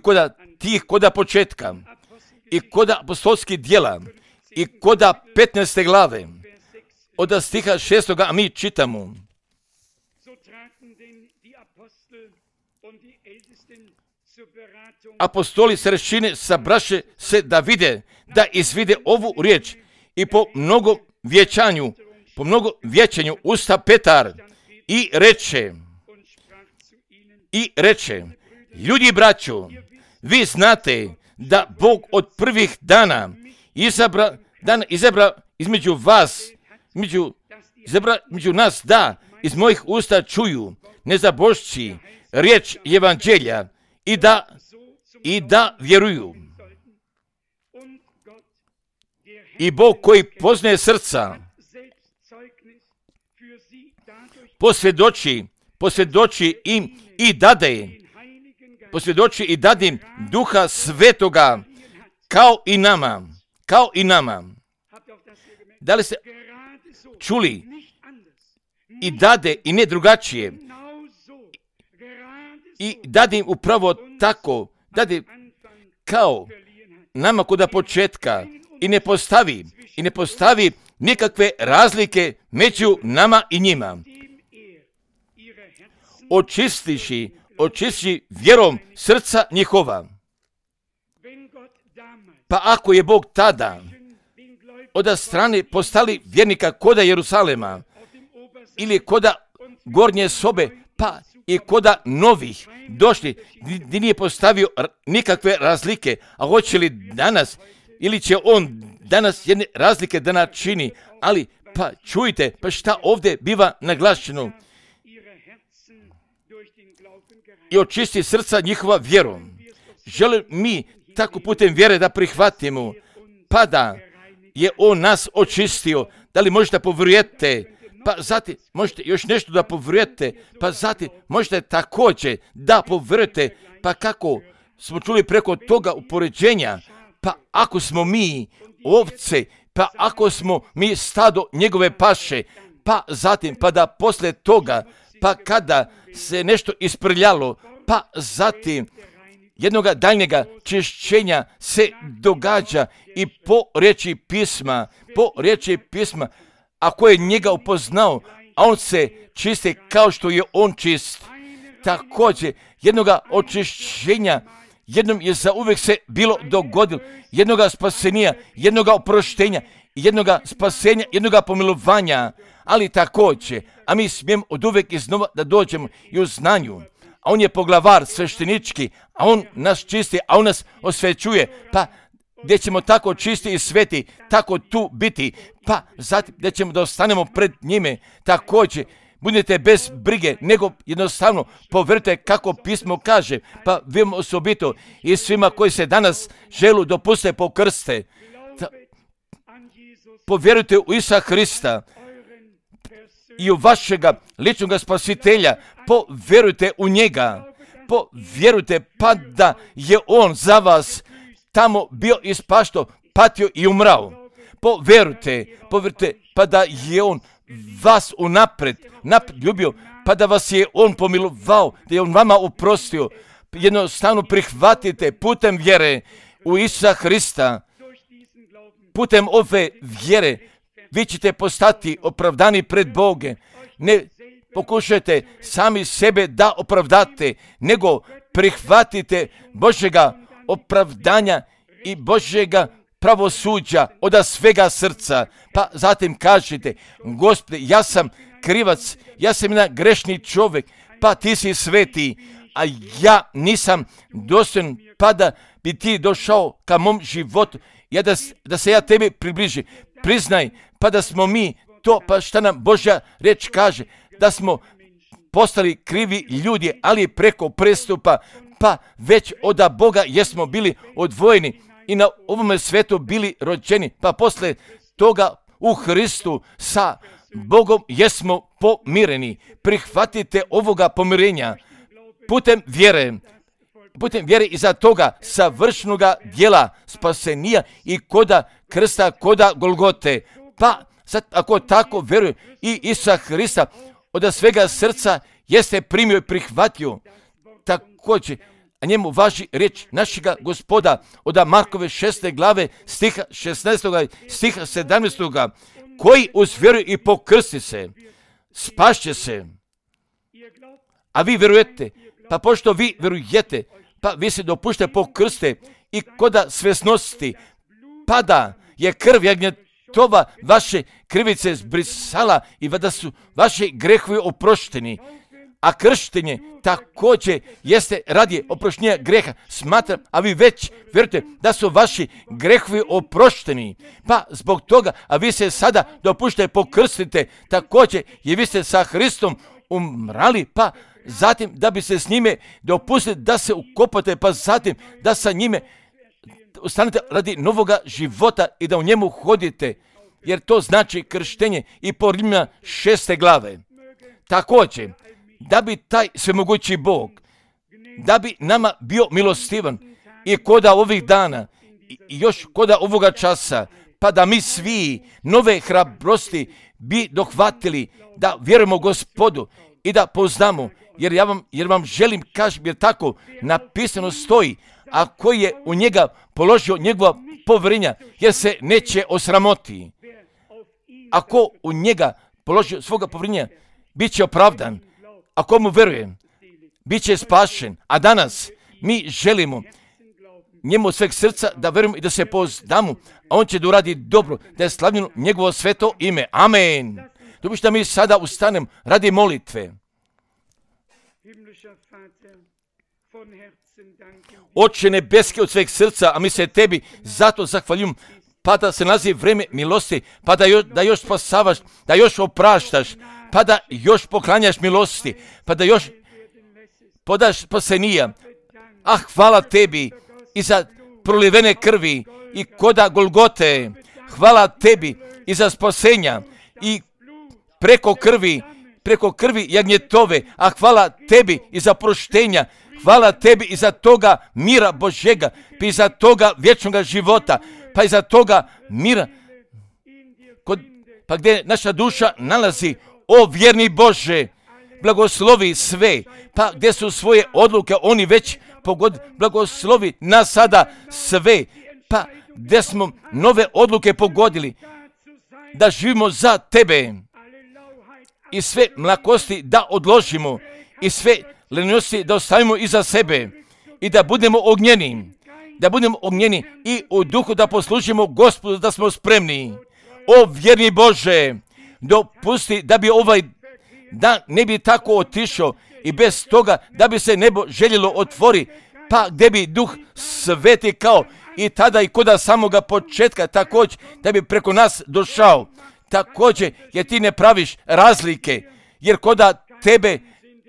koda početka, i koda apostolskih djela, i koda 15. glave, od stiha 6. a mi čitamo. Apostoli starešine sabraše se da vide, da izvide ovu riječ i po mnogo vječanju usta Petar i reče, ljudi braćo, vi znate da Bog od prvih dana izabra između nas da iz mojih usta čuju nezabošći riječ evanđelja i da vjeruju. I Bog koji poznaje srca posvjedoči im i dade im Duha Svetoga kao i nama. Da li ste čuli? I dade i ne drugačije. I dade im upravo tako, dade kao nama kod početka i ne postavi nikakve razlike među nama i njima. Očistiši vjerom srca njihova. Pa ako je Bog tada od strane postali vjernika koda Jerusalema ili koda gornje sobe, pa i koda novih došli, gdje nije postavio nikakve razlike, a hoće li danas, ili će on danas jedne razlike da načini, ali pa čujte, pa šta ovdje biva naglašeno? I očisti srca njihova vjerom. Želim mi tako putem vjere da prihvatimo, pa da je on nas očistio. Da li možete povjerujete? Pa zatim možete još nešto da povjerujete, pa zatim možete također da povjerujete, pa kako smo čuli preko toga upoređenja, pa ako smo mi ovce, pa ako smo mi stado njegove paše, pa zatim, pa da poslije toga, pa kada se nešto isprljalo, pa zatim jednoga daljnjega čišćenja se događa i po riječi pisma, ako je njega upoznao, a on se čisti kao što je on čist. Također, jednoga očišćenja, jednom je zauvijek se bilo dogodilo, jednoga spasenija, jednoga oproštenja jednoga spasenja, jednoga pomilovanja, ali također, a mi smijemo od uvek iznova da dođemo i u znanju. A on je poglavar sveštenički, a on nas čisti, a on nas osvećuje, pa gdje ćemo tako čisti i sveti, tako tu biti, pa zatim gdje ćemo da ostanemo pred njime, također, budete bez brige, nego jednostavno povjerujte kako pismo kaže, pa vi osobito i svima koji se danas želu dopuste pokrste, povjerujte u Isusa Hrista i u vašega ličnog spasitelja, povjerujte u njega, povjerujte pa da je on za vas tamo bio ispašto, patio i umrao. Povjerujte pa da je on vas unapred ljubio, pa da vas je on pomilovao, da je on vama oprostio. Jednostavno prihvatite putem vjere u Isusa Hrista. Putem ove vjere vi ćete postati opravdani pred Boge. Ne pokušajte sami sebe da opravdate, nego prihvatite Božjega opravdanja i Božjega pravosuđa od svega srca. Pa zatim kažete, Gospode, ja sam krivac, ja sam jedan grešni čovjek, pa ti si sveti, a ja nisam dostojan, pa da bi ti došao ka mom životu, da se ja tebi približi. Priznaj, pa da smo mi to, pa šta nam Božja riječ kaže, da smo postali krivi ljudi, ali preko prestupa, pa već od Boga jesmo bili odvojeni i na ovome svetu bili rođeni, pa posle toga u Hristu sa Bogom jesmo pomireni. Prihvatite ovoga pomirenja putem vjere iza toga savršenoga djela spasenija i koda krsta, koda Golgote. Pa sad ako tako vjeruje i Isusa Hrista od svega srca jeste primio i prihvatio, također a njemu važi riječ našega Gospoda od Markove 6. glave stiha 16. stiha 17. koji uz vjeru i pokrsti se, spašće se. A vi vjerujete, pa pošto vi vjerujete, pa vi se dopušte pokrste i koda svjesnosti, pa da je krv jagnjetova vaše krivice zbrisala i da su vaši grehovi oprošteni. A krštenje također jeste radi oproštenja greha. Smatram, a vi već vjerujete da su vaši grehovi oprošteni. Pa zbog toga, a vi se sada dopušte pokrstite također jer vi ste sa Hristom umrali, pa zatim da bi se s njime dopustili da se ukopate, pa zatim da sa njime ostanete radi novoga života i da u njemu hodite, jer to znači krštenje i po Rimljana 6. glave. Također, da bi taj svemogući Bog, da bi nama bio milostivan i koda ovih dana i još koda ovoga časa, pa da mi svi nove hrabrosti bi dohvatili, da vjerujemo Gospodu i da poznamo, jer vam želim kažem, jer tako napisano stoji, a koji je u njega položio njegova povjerenja, jer se neće osramoti. Ako u njega položio svoga povjerenja, bit će opravdan. Ako mu vjerujem, bit će spašen. A danas mi želimo njemu od sveg srca da vjerujemo i da se poznamo, a on će da uradi dobro, da je slavljeno njegovo sveto ime. Amen. Dopušta mi sada ustanem radi molitve. Oče nebeski od sveg srca, a mi se tebi zato zahvaljujem, pa da se nalazi vreme milosti, pa da još spasavaš, da još opraštaš, pa da još poklanjaš milosti, pa da još podaš spasenija. Ah, hvala tebi i za prolivene krvi i koda Golgote. Hvala tebi i za spasenja i preko krvi jagnjetove. A hvala tebi i za proštenja. Hvala tebi i za toga mira Božjega, pa i za toga vječnog života, pa i za toga mira pa gdje naša duša nalazi. O vjerni Bože, blagoslovi sve, pa gdje su svoje odluke oni već pogodili, blagoslovi nas sada sve, pa gdje smo nove odluke pogodili, da živimo za tebe i sve mlakosti da odložimo i sve lenijosti da ostavimo iza sebe i da budemo ognjeni i u duhu da poslužimo Gospodu, da smo spremni. O vjerni Bože, dopusti da bi ovaj dan ne bi tako otišao i bez toga da bi se nebo željelo otvori, pa gdje bi Duh Sveti kao i tada i kod samoga početka također da bi preko nas došao. Također jer ti ne praviš razlike, jer koda tebe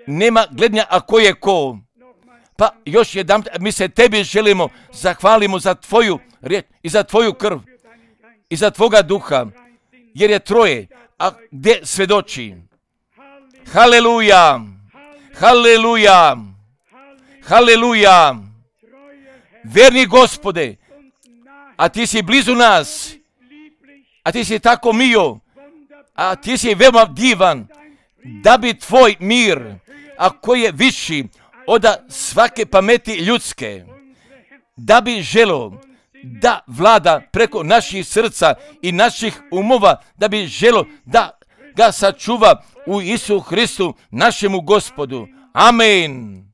nema gledanja, a ko je ko. Pa još jedan, mi se tebi želimo, zahvalimo za tvoju riječ i za tvoju krv i za tvoga duha, jer je troje, a gdje svjedoči. Haleluja, haleluja, haleluja. Vjerni Gospode, a ti si blizu nas, a ti si tako mio, a ti si veoma divan, da bi tvoj mir, a koji je viši od svake pameti ljudske, da bi želo da vlada preko naših srca i naših umova, da bi želo da ga sačuva u Isu Hristu, našemu Gospodu. Amen.